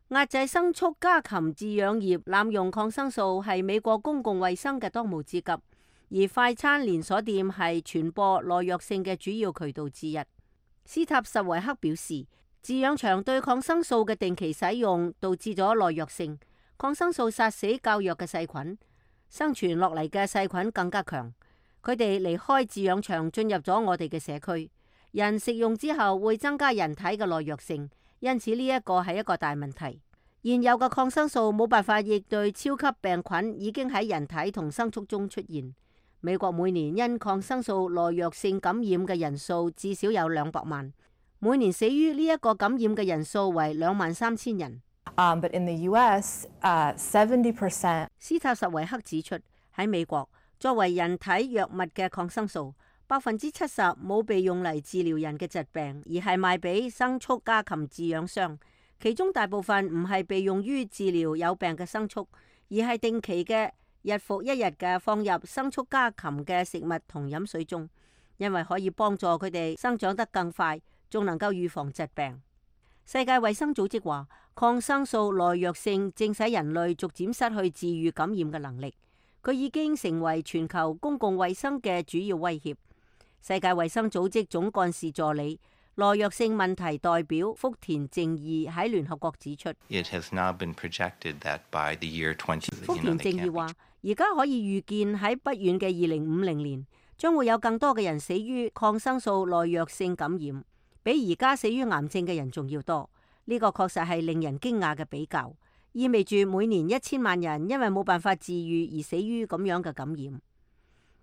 Speaker 6: 壓制牲畜家禽飼養業濫用抗生素係美國公共衛生嘅當務之急，而快餐連鎖店係傳播耐藥性嘅主要渠道之一。斯塔什維克表示，飼養場對抗生素嘅定期使用導致咗耐藥性，抗生素殺死較弱嘅細菌，生存落嚟嘅細菌更加強，佢哋離開飼養場進入咗我哋嘅社區。人食用之後會增加人體嘅耐藥性，因此呢一個係一個大問題。現有嘅抗生素冇辦法應對超級病菌已經喺人體同牲畜中出現。美國每年因抗生素耐藥性感染嘅人數至少有兩百萬，每年死於呢一個感染嘅人數為兩萬三千人。
Speaker 7: Um, but in the U S, uh, seventy percent。
Speaker 6: 斯塔什維克指出，喺美國作為人體藥物嘅抗生素，百分之七十冇被用嚟治療人嘅疾病，而係賣俾牲畜家禽飼養商。其中大部分唔係被用於治療有病嘅牲畜，而係定期嘅日復一日嘅放入牲畜家禽嘅食物同飲水中，因為可以幫助佢哋生長得更快，仲能夠預防疾病。世界衛生組織話，抗生素耐藥性正使人類逐漸失去治癒感染嘅能力，佢已經成為全球公共衛生嘅主要威脅。世界衛生組織總幹事助理、耐藥性問題代表福田正義喺聯合國指出，It
Speaker 8: has now been projected that by the year twenty
Speaker 6: 福田正義話，而家可以預見喺不遠嘅二零五零年，將會有更多嘅人死於抗生素耐藥性感染，比而家死於癌症嘅人仲要多。呢、這個確實係令人驚訝嘅比較，意味住每年一千萬人因為冇辦法治癒而死於咁樣嘅感染。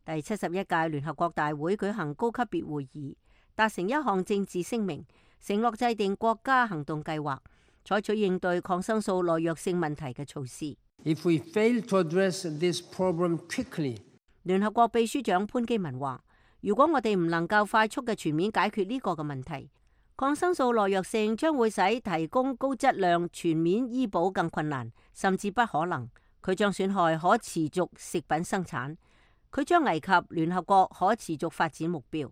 Speaker 6: 第七十一屆聯合國大會舉行高級別會議，達成一項政治聲明，承諾制定國家行動計劃，採取應對抗生素耐藥性問題嘅措施。
Speaker 9: If we fail to address this problem quickly，
Speaker 6: 聯合國秘書長潘基文話：如果我哋唔能夠快速嘅全面解決呢個嘅問題，抗生素耐藥性將會使提供高質量全面醫保更困難，甚至不可能。佢將損害可持續食品生產，佢將危及聯合國可持續發展目標。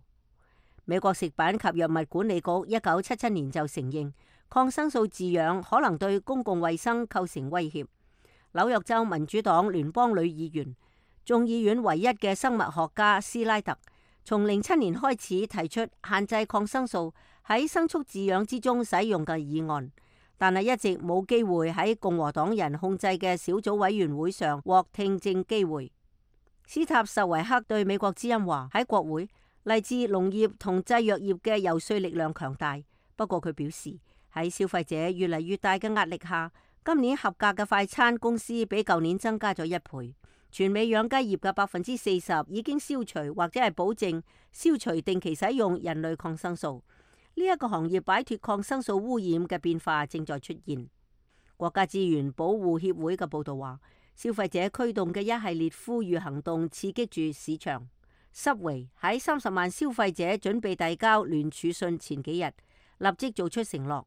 Speaker 6: 美國食品及藥物管理局一九七七年就承認抗生素飼養可能對公共衛生構成威脅。紐約州民主黨聯邦女議員、眾議院唯一嘅生物學家斯拉特，從零七年開始提出限制抗生素喺牲畜飼養之中使用嘅議案，但係一直冇機會喺共和黨人控制嘅小組委員會上獲聽證機會。斯塔什維克對美國之音話：喺國會，嚟自農業同製藥業嘅遊說力量強大。不過佢表示，喺消費者越嚟越大嘅壓力下，今年合格嘅快餐公司比舊年增加咗一倍。全美養雞業嘅百分之四十已經消除或者係保證消除定期使用人類抗生素。呢一個行業擺脫抗生素污染嘅變化正在出現。國家資源保護協會嘅報道話，消費者驅動嘅一系列呼籲行動刺激住市場。Subway 喺三十萬消費者準備遞交聯署信前幾日，立即做出承諾，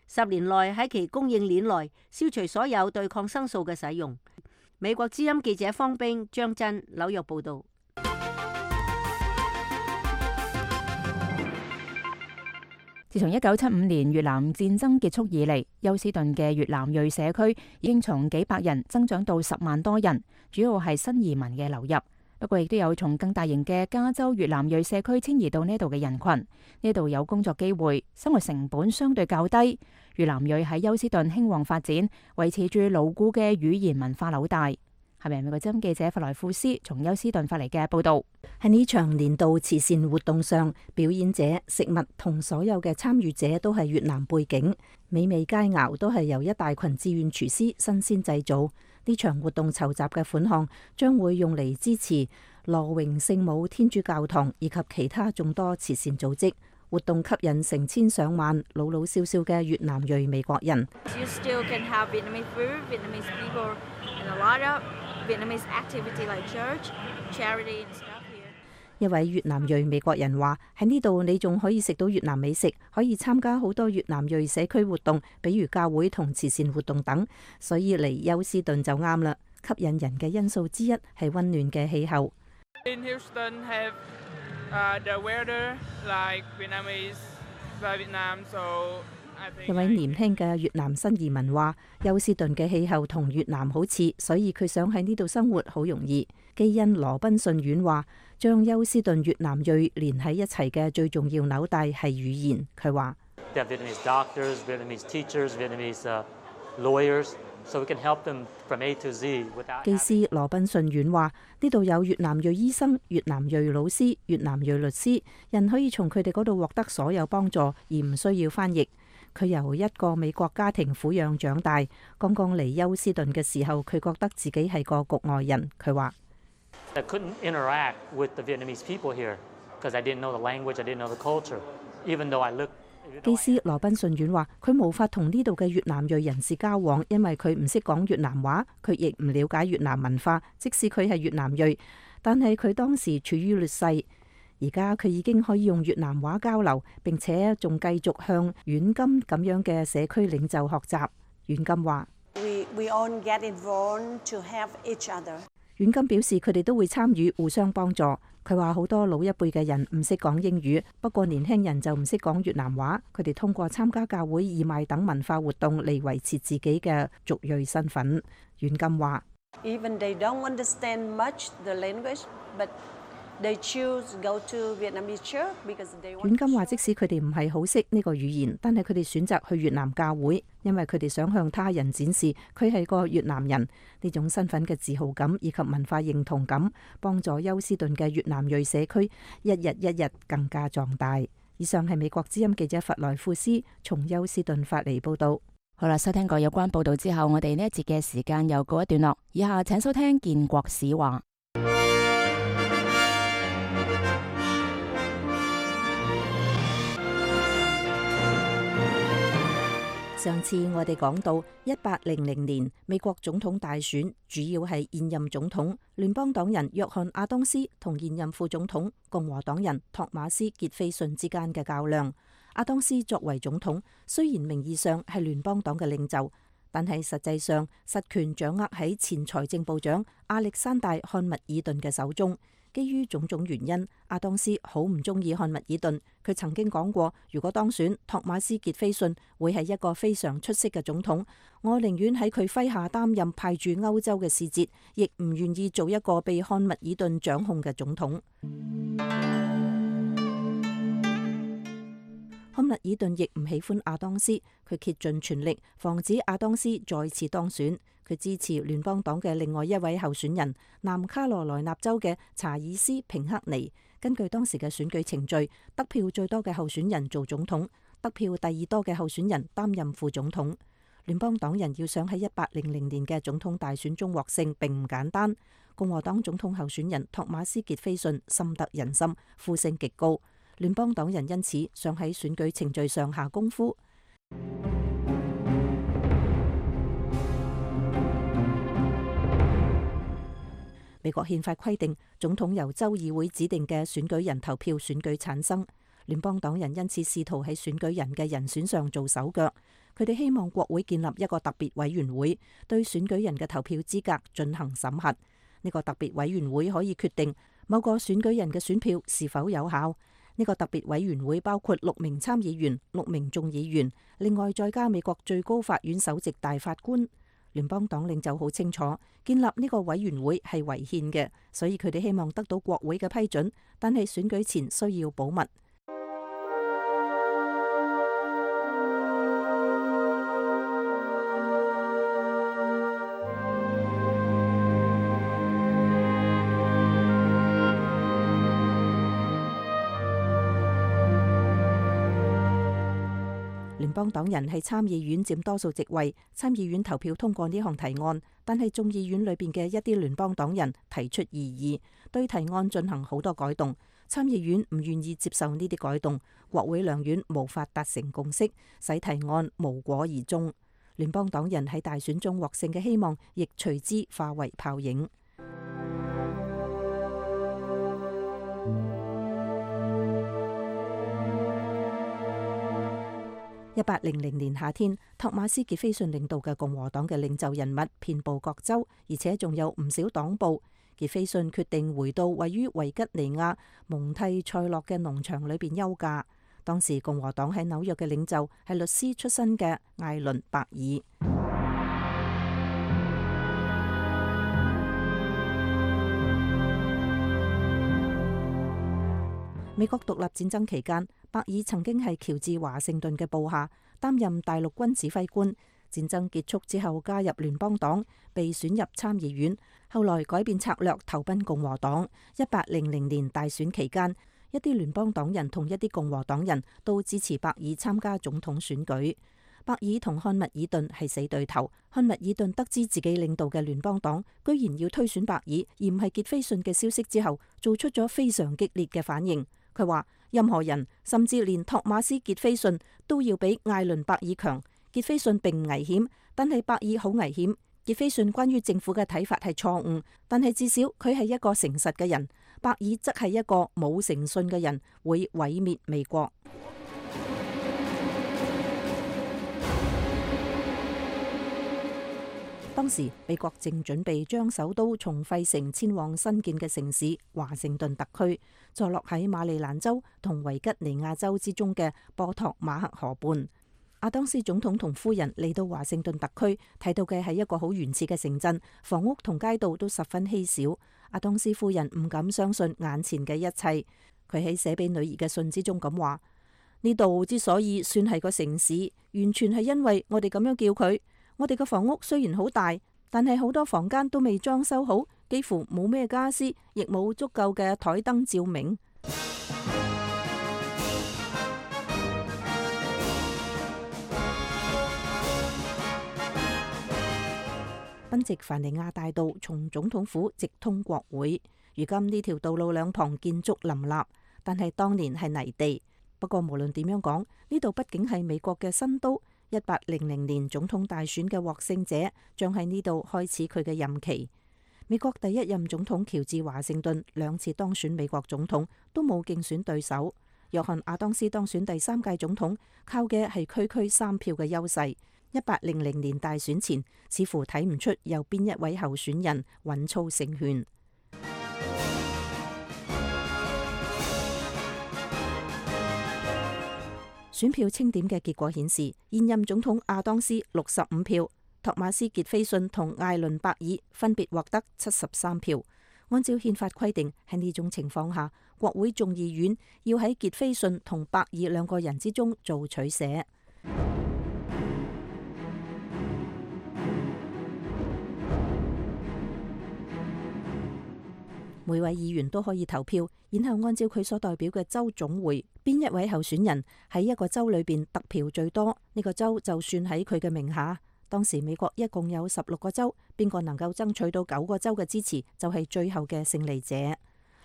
Speaker 6: 十年內喺其供應鏈內消除所有對抗生素嘅使用。美國之音記者方冰、張真紐約報道。
Speaker 2: 自從一九七五年越南戰爭結束以嚟，休斯頓嘅越南裔社區已經從幾百人增長到十萬多人，主要係新移民嘅流入。不過亦都有從更大型嘅加州越南裔社區遷移到呢度嘅人群。呢度有工作機會，生活成本相對較低。越南裔喺休斯頓興旺發展，維持住牢固嘅語言文化紐帶。係咪美國之音記者弗萊庫斯從休斯頓發嚟嘅報道？
Speaker 4: 喺呢場年度慈善活動上，表演者、食物同所有嘅參與者都係越南背景，美味佳肴都係由一大群志願廚師新鮮製造。呢場活動籌集嘅款項將會用嚟支持羅榮聖母天主教堂以及其他眾多慈善組織。活動吸引成千上萬老老少少嘅越南裔美國人。一位越南裔美國人話：喺呢度你仲可以食到越南美食，可以參加好多越南裔社區活動，比如教會同慈善活動等，所以嚟休斯頓就啱啦。吸引人嘅因素之一係溫暖嘅氣候。
Speaker 10: In Houston have, uh, the weather like Vietnamese, Vietnam, so I think
Speaker 4: 一位年輕嘅越南新移民話：休斯頓嘅氣候同越南好似，所以佢想喺呢度生活好容易。基恩羅賓遜院話：將休斯頓越南裔連喺一齊嘅最重要紐帶係語言。佢話：技師羅賓遜院話：呢度有越南裔醫生、越南裔老師、越南裔律師，人可以從佢哋嗰度獲得所有幫助，而唔需要翻譯。佢由一個美國家庭撫養長大，剛剛嚟休斯頓嘅時候，佢覺得自己係個局外人。佢話：技師羅賓遜院話：佢無法同呢度嘅越南裔人士交往，因為佢唔識講越南話，佢亦唔了解越南文化。即使佢係越南裔，但係佢當時處於劣勢。而家佢已經可以用越南話交流，並且仲繼續向遠金咁樣嘅社區領袖學習。遠金話：遠金表示佢哋都會參與，互相幫助。佢話好多老一輩嘅人唔識講英語，不過年輕人就唔識講越南話。佢哋通過參加教會義賣等文化活動嚟維持自己嘅族裔身份。遠金話：遠金話，即使佢哋唔係好識呢個語言，但係佢哋選擇去越南教會，因為佢哋想向他人展示佢係個越南人。呢種身份嘅自豪感以及文化認同感，幫助休斯頓嘅越南裔社區一日一日更加壯大。以上係美國之音記者弗萊庫斯從休斯頓發嚟報道。
Speaker 2: 好啦，收聽過有關報道之後，我哋呢一節嘅時間又告一段落。以下請收聽建國史話。
Speaker 4: 上次我哋講到一八零零年美國總統大選，主要係現任總統聯邦黨人約翰亞當斯同現任副總統共和黨人托馬斯傑斐遜之間嘅較量。亞當斯作為總統，雖然名義上係聯邦黨嘅領袖，但係實際上實權掌握喺前財政部長亞歷山大漢密爾頓嘅手中。基於種種原因，亞當斯好唔中意漢密爾頓。佢曾經講過，如果當選，托馬斯傑斐遜會係一個非常出色嘅總統。我寧願喺佢麾下擔任派駐歐洲嘅使節，亦唔願意做一個被漢密爾頓掌控嘅總統。漢密爾頓亦唔喜歡亞當斯，佢竭盡全力防止亞當斯再次當選。佢支持聯邦黨嘅另外一位候選人，南卡羅來納州嘅查爾斯平克尼。根據當時嘅選舉程序，得票最多嘅候選人做總統，得票第二多嘅候選人擔任副總統。聯邦黨人要想喺一八零零年嘅總統大選中獲勝並唔簡單。共和黨總統候選人托馬斯傑斐遜深得人心，呼聲極高。聯邦黨人因此想喺選舉程序上下功夫。美國憲法規定，總統由州議會指定嘅選舉人投票選舉產生。聯邦黨人因此試圖喺選舉人嘅人選上做手腳。佢哋希望國會建立一個特別委員會，對選舉人嘅投票資格進行審核。呢個特別委員會可以決定某個選舉人嘅選票是否有效。呢個特別委員會包括六名參議員、六名眾議員，另外再加美國最高法院首席大法官。聯邦黨領袖好清楚，建立呢個委員會係違憲嘅，所以佢哋希望得到國會嘅批准，但係選舉前需要保密。聯邦黨人喺參議院佔多數席位，參議院投票通過呢項提案，但係眾議院裏邊嘅一啲聯邦黨人提出異議，對提案進行好多改動。參議院唔願意接受呢啲改動，國會兩院無法達成共識，使提案無果而終。聯邦黨人喺大選中獲勝嘅希望，亦隨之化為泡影。一八零零年夏天，托馬斯傑斐遜領導嘅共和黨嘅領袖人物遍佈各州，而且仲有唔少黨部。傑斐遜決定回到位於維吉尼亞蒙蒂塞洛嘅農場裏邊休假。當時共和黨喺紐約嘅領袖係律師出身嘅艾倫伯爾。美國獨立戰爭期間，伯爾曾經係喬治華盛頓嘅部下，擔任大陸軍指揮官。戰爭結束之後，加入聯邦黨，被選入參議院，後來改變策略，投奔共和黨。一八零零年大選期間，一啲聯邦黨人同一啲共和黨人都支持伯爾參加總統選舉。伯爾同漢密爾頓係死對頭。漢密爾頓得知自己領導嘅聯邦黨居然要推選伯爾，而唔係傑斐遜嘅消息之後，做出咗非常激烈嘅反應。佢話：任何人，甚至連托馬斯傑斐遜都要比艾倫伯爾強。傑斐遜並唔危險，但係伯爾好危險。傑斐遜關於政府嘅睇法係錯誤，但係至少佢係一個誠實嘅人。伯爾則係一個冇誠信嘅人，會毀滅美國。當時美國正準備將首都從費城遷往新建嘅城市華盛頓特區，坐落喺馬里蘭州同維吉尼亞州之中嘅波托馬克河畔。亞當斯總統同夫人嚟到華盛頓特區，睇到嘅係一個好原始嘅城鎮，房屋同街道都十分稀少。亞當斯夫人唔敢相信眼前嘅一切。佢喺寫俾女兒嘅信之中咁話：呢度之所以算係個城市，完全係因為我哋咁樣叫佢。我哋嘅房屋雖然好大，但係好多房間都未裝修好，幾乎冇咩家私，亦冇足夠嘅台燈照明。賓夕凡尼亞大道從總統府直通國會，如今呢條道路兩旁建築林立，但係當年係泥地。不過無論點樣講，呢度畢竟係美國嘅新都。一八零零年總統大選嘅獲勝者將喺呢度開始佢嘅任期。美國第一任總統喬治華盛頓兩次當選美國總統都冇競選對手。約翰亞當斯當選第三屆總統，靠嘅係區區三票嘅優勢。一八零零年大選前，似乎睇唔出有邊一位候選人穩操勝券。選票清點嘅結果顯示，現任總統亞當斯六十五票，托馬斯傑菲遜同艾倫伯爾分別獲得七十三票。按照憲法規定，喺呢種情況下，國會眾議院要喺傑菲遜同伯爾兩個人之中做取捨。每位議員都可以投票，然後按照佢所代表嘅州總會，邊一位候選人喺一個州裏邊得票最多，呢個州就算喺佢嘅名下。當時美國一共有十六個州，邊個能夠爭取到九個州嘅支持，就係最後嘅勝利者。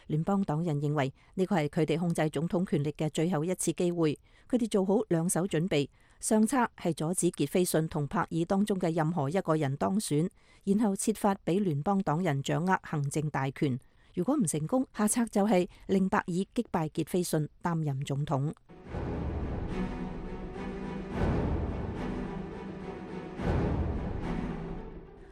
Speaker 4: 聯邦黨人認為呢個係佢哋控制總統權力嘅最後一次機會，佢哋做好兩手準備，上策係阻止傑菲遜同柏爾當中嘅任何一個人當選，然後設法俾聯邦黨人掌握行政大權。如果唔成功，下策就係令伯爾擊敗傑菲遜擔任總統。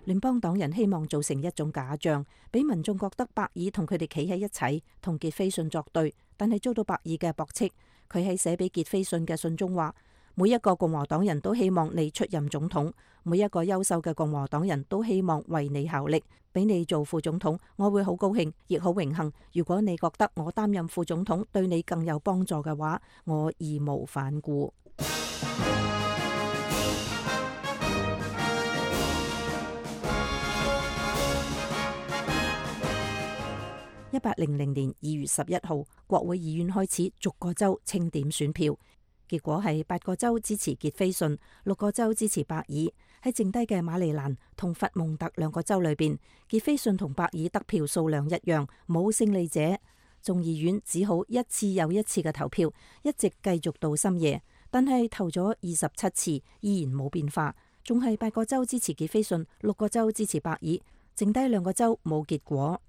Speaker 4: 聯邦黨人希望造成一種假象，俾民眾覺得伯爾同佢哋企喺一齊，同傑菲遜作對，但係遭到伯爾嘅駁斥。佢喺寫俾傑菲遜嘅信中話：每一個共和黨人都希望你出任總統，每一個優秀嘅共和黨人都希望為你效力，俾你做副總統，我會好高興，亦好榮幸。如果你覺得我擔任副總統對你更有幫助嘅話，我義無反顧。一八零零年二月十一號，國會議院開始逐個州清點選票，結果係八個州支持傑菲遜，六個州支持伯爾。喺剩低嘅馬里蘭同佛蒙特兩個州裏邊，傑菲遜同伯爾得票數量一樣，冇勝利者。眾議院只好一次又一次嘅投票，一直繼續到深夜，但係投咗二十七次，依然冇變化，仲係八個州支持傑菲遜，六個州支持伯爾，剩低兩個州冇結果。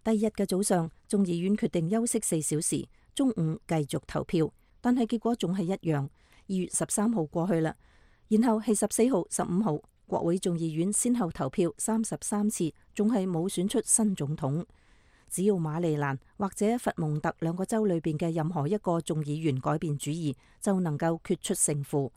Speaker 4: 第二日嘅早上，眾議院決定休息四小時，中午繼續投票，但係結果仲係一樣。二月十三號過去啦，然後係十四號、十五號，國會眾議院先後投票三十三次，仲係冇選出新總統。只要馬里蘭或者佛蒙特兩個州裏邊嘅任何一個眾議員改變主意，就能夠決出勝負。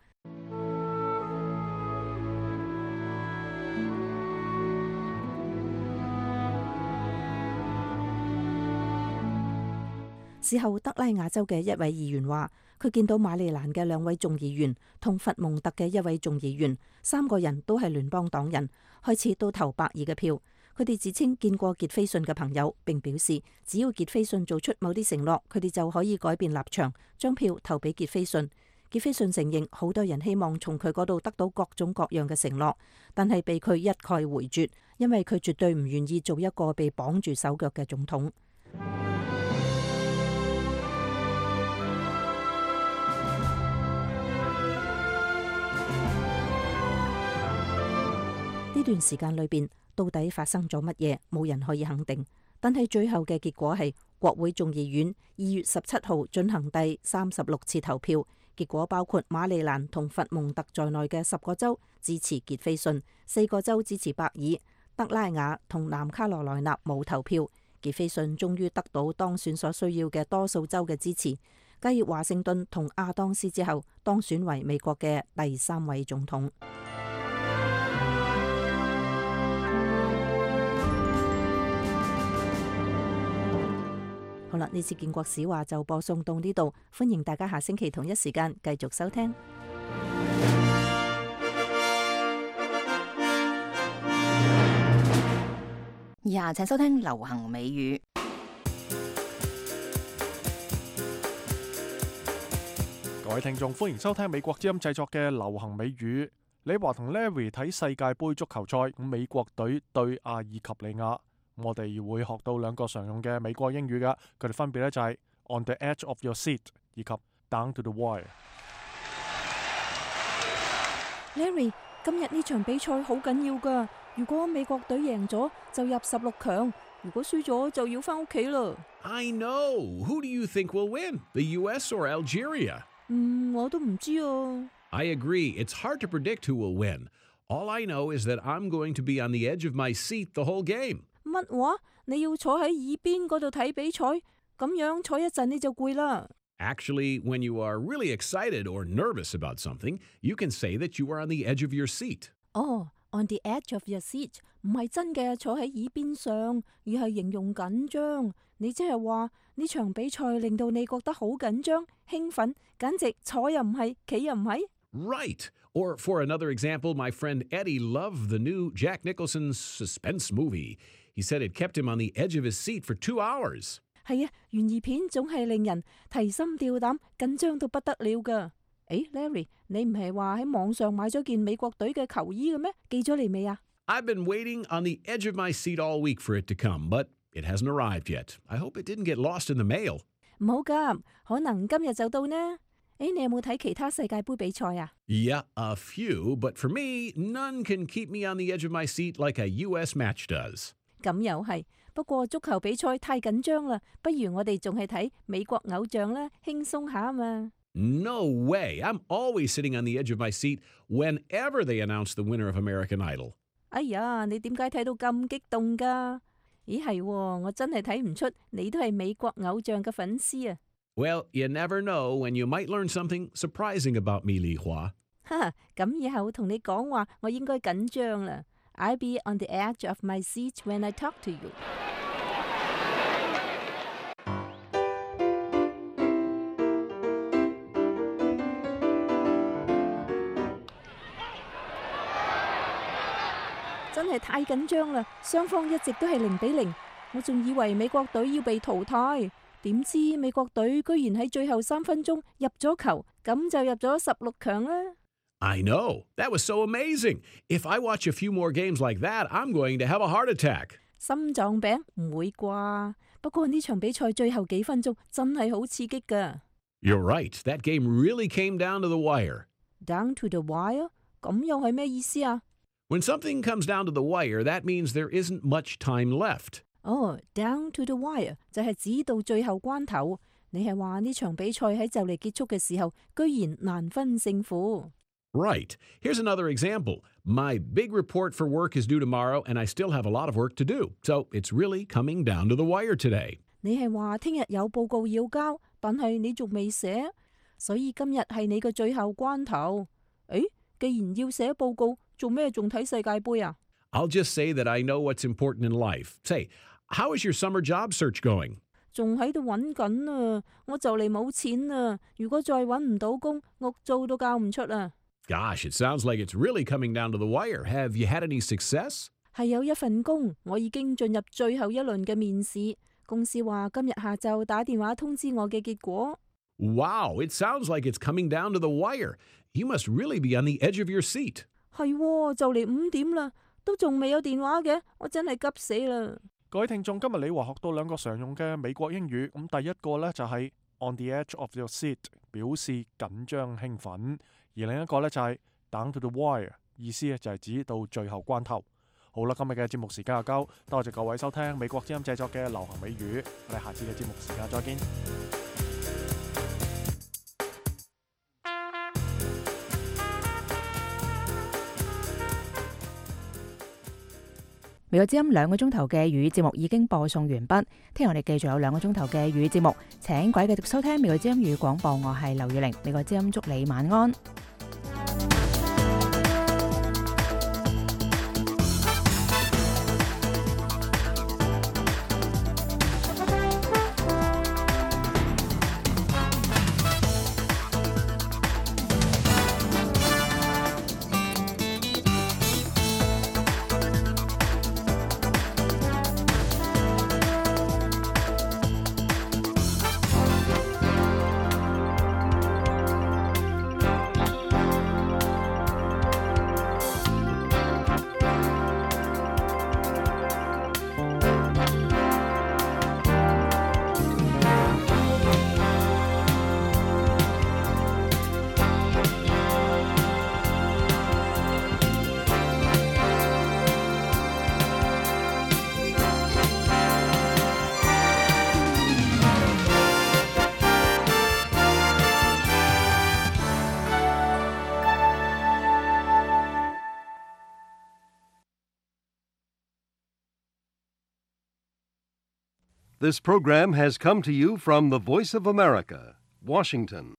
Speaker 4: 事後，德拉瓦州嘅一位議員話，佢見到馬里蘭嘅兩位眾議員同佛蒙特嘅一位眾議員，三個人都係聯邦黨人，開始都投伯爾嘅票。佢哋自稱見過傑菲遜嘅朋友，並表示只要傑菲遜做出某啲承諾，佢哋就可以改變立場，將票投俾傑菲遜。傑菲遜承認好多人希望從佢嗰度得到各種各樣嘅承諾，但係被佢一概回絕，因為佢絕對唔願意做一個被綁住手腳嘅總統。呢段時間裏邊，到底發生咗乜嘢，冇人可以肯定。但係最後嘅結果係，國會眾議院二月十七號進行第三十六次投票，結果包括馬里蘭同佛蒙特在內嘅十個州支持傑菲遜，四個州支持伯爾，德拉瓦同南卡羅來納冇投票。傑菲遜終於得到當選所需要嘅多數州嘅支持，繼華盛頓同亞當斯之後，當選為美國嘅第三位總統。好啦，呢次建國史話就播送到呢度，歡迎大家下星期同一時間繼續收聽。
Speaker 2: 以下請收聽流行美語。
Speaker 1: 各位聽眾，歡迎收聽美國之音製作嘅流行美語。李華同 Larry 睇世界盃足球賽，咁美國隊對阿爾及利亞。我哋會學到兩個常用嘅美國英語噶，佢哋分別咧就係 on the edge of your seat 以及 down to the wire。
Speaker 4: Larry，今日呢場比賽好緊要噶，如果美國隊贏咗就入十六強，如果輸咗就要翻屋企啦。
Speaker 11: I know. Who do you think will win? The U S or Algeria?
Speaker 4: 嗯，我都唔知啊。
Speaker 11: I agree. It's hard to predict who will win. All I know is that I'm going to be on the edge of my seat the whole game.
Speaker 4: 乜話？你要坐喺耳邊嗰度睇比賽，咁樣坐一陣你就攰啦。
Speaker 11: Actually, when you are really excited or nervous about something, you can say that you are on the edge of your seat.
Speaker 4: 哦，on the edge of your seat 唔係真嘅坐喺耳邊上，而係形容緊張。你即係話呢場比賽令到你覺得好緊張、興奮，簡直坐又唔係，企又唔係。
Speaker 11: Right. Or for another example, my friend Eddie loved the new Jack Nicholson suspense movie. He said it kept him on the edge of his seat for two hours.
Speaker 4: 係啊，懸疑片總係令人提心吊膽、緊張到不得了噶。誒 ，Larry， 你唔係話喺網上買咗件美國隊嘅球衣嘅咩？寄咗嚟未啊？
Speaker 11: I've been waiting on the edge of my seat all week for it to come, but it hasn't arrived yet. I hope it didn't get lost in the mail.
Speaker 4: 唔好急，可能今日就到呢。誒，你有冇睇其他世界盃比賽啊？
Speaker 11: Yeah, a few, but for me, none can keep me on the edge of my seat like a U S match does.
Speaker 4: 咁又係，不過足球比賽太緊張啦，不如我哋仲係睇美國偶像啦，輕鬆下啊嘛。
Speaker 11: No way. I'm always sitting on the edge of my seat whenever they announce the winner of American Idol.
Speaker 4: 哎呀，你點解睇到咁激動㗎？咦係喎，我真係睇唔出你都係美國偶像嘅粉絲啊。
Speaker 11: Well, you never know when you might learn something surprising about me, Li Hua.
Speaker 4: 哈，咁以後同你講話，我應該緊張啦。I'll be on the edge of my seat when I talk to you. 真係太緊張啦！雙方一直都係零比零，我仲以為美國隊要被淘汰，點知美國隊居然喺最後三分鐘入咗球，咁就入咗十六強啦。
Speaker 11: I know. That was so amazing. If I watch a few more games like that, I'm going to have a heart attack.
Speaker 4: 心臟病唔會啩？不過呢場比賽最後幾分鐘真係好刺激㗎。
Speaker 11: You're right. That game really came down to the wire.
Speaker 4: Down to the wire？ 咁又係咩意思啊？
Speaker 11: When something comes down to the wire, that means there isn't much time left.
Speaker 4: 哦、oh, down to the wire 就係指到最後關頭。你係話呢場比賽喺就嚟結束嘅時候，居然難分勝負。
Speaker 11: Right. Here's another example. My big report for work is due tomorrow, and I still have a lot of work to do. So it's really coming down to the wire today.
Speaker 4: 你係話聽日有報告要交，但係你仲未寫，所以今日係你嘅最後關頭。誒，既然要寫報告，做咩仲睇世界盃啊？
Speaker 11: I'll just say that I know what's important in life. Say, how is your summer job search going?
Speaker 4: 仲喺度揾緊啊！我就嚟冇錢啦！如果再揾唔到工，屋租都交唔出啊！
Speaker 11: Gosh, it sounds like it's really coming down to the wire. Have you had any success?
Speaker 4: 係有一份工，我已經進入最後一輪嘅面試。公司話今日下晝打電話通知我嘅結果。
Speaker 11: Wow, it sounds like it's coming down to the wire. You must really be on the edge of your seat.
Speaker 4: 係喎，就嚟五點啦，都仲未有電話嘅，我真係急死啦！
Speaker 1: 各位聽眾，今日你話學到兩個常用嘅美國英語，咁第一個呢就係 on the edge of your seat， 表示緊張興奮；而另一個呢就係 down to the wire， 意思就係指到最後關頭。好啦，今日嘅節目時間就夠，多謝各位收聽美國之音製作嘅流行美語，我哋下次嘅節目時間再見。
Speaker 2: 美國之音兩個鐘頭嘅語節目已經播送完畢，聽日我哋繼續有兩個鐘頭嘅語節目，請各位繼續收聽美國之音語廣播，我係劉雨玲，美國之音祝你晚安。
Speaker 12: This program has come to you from the Voice of America, Washington.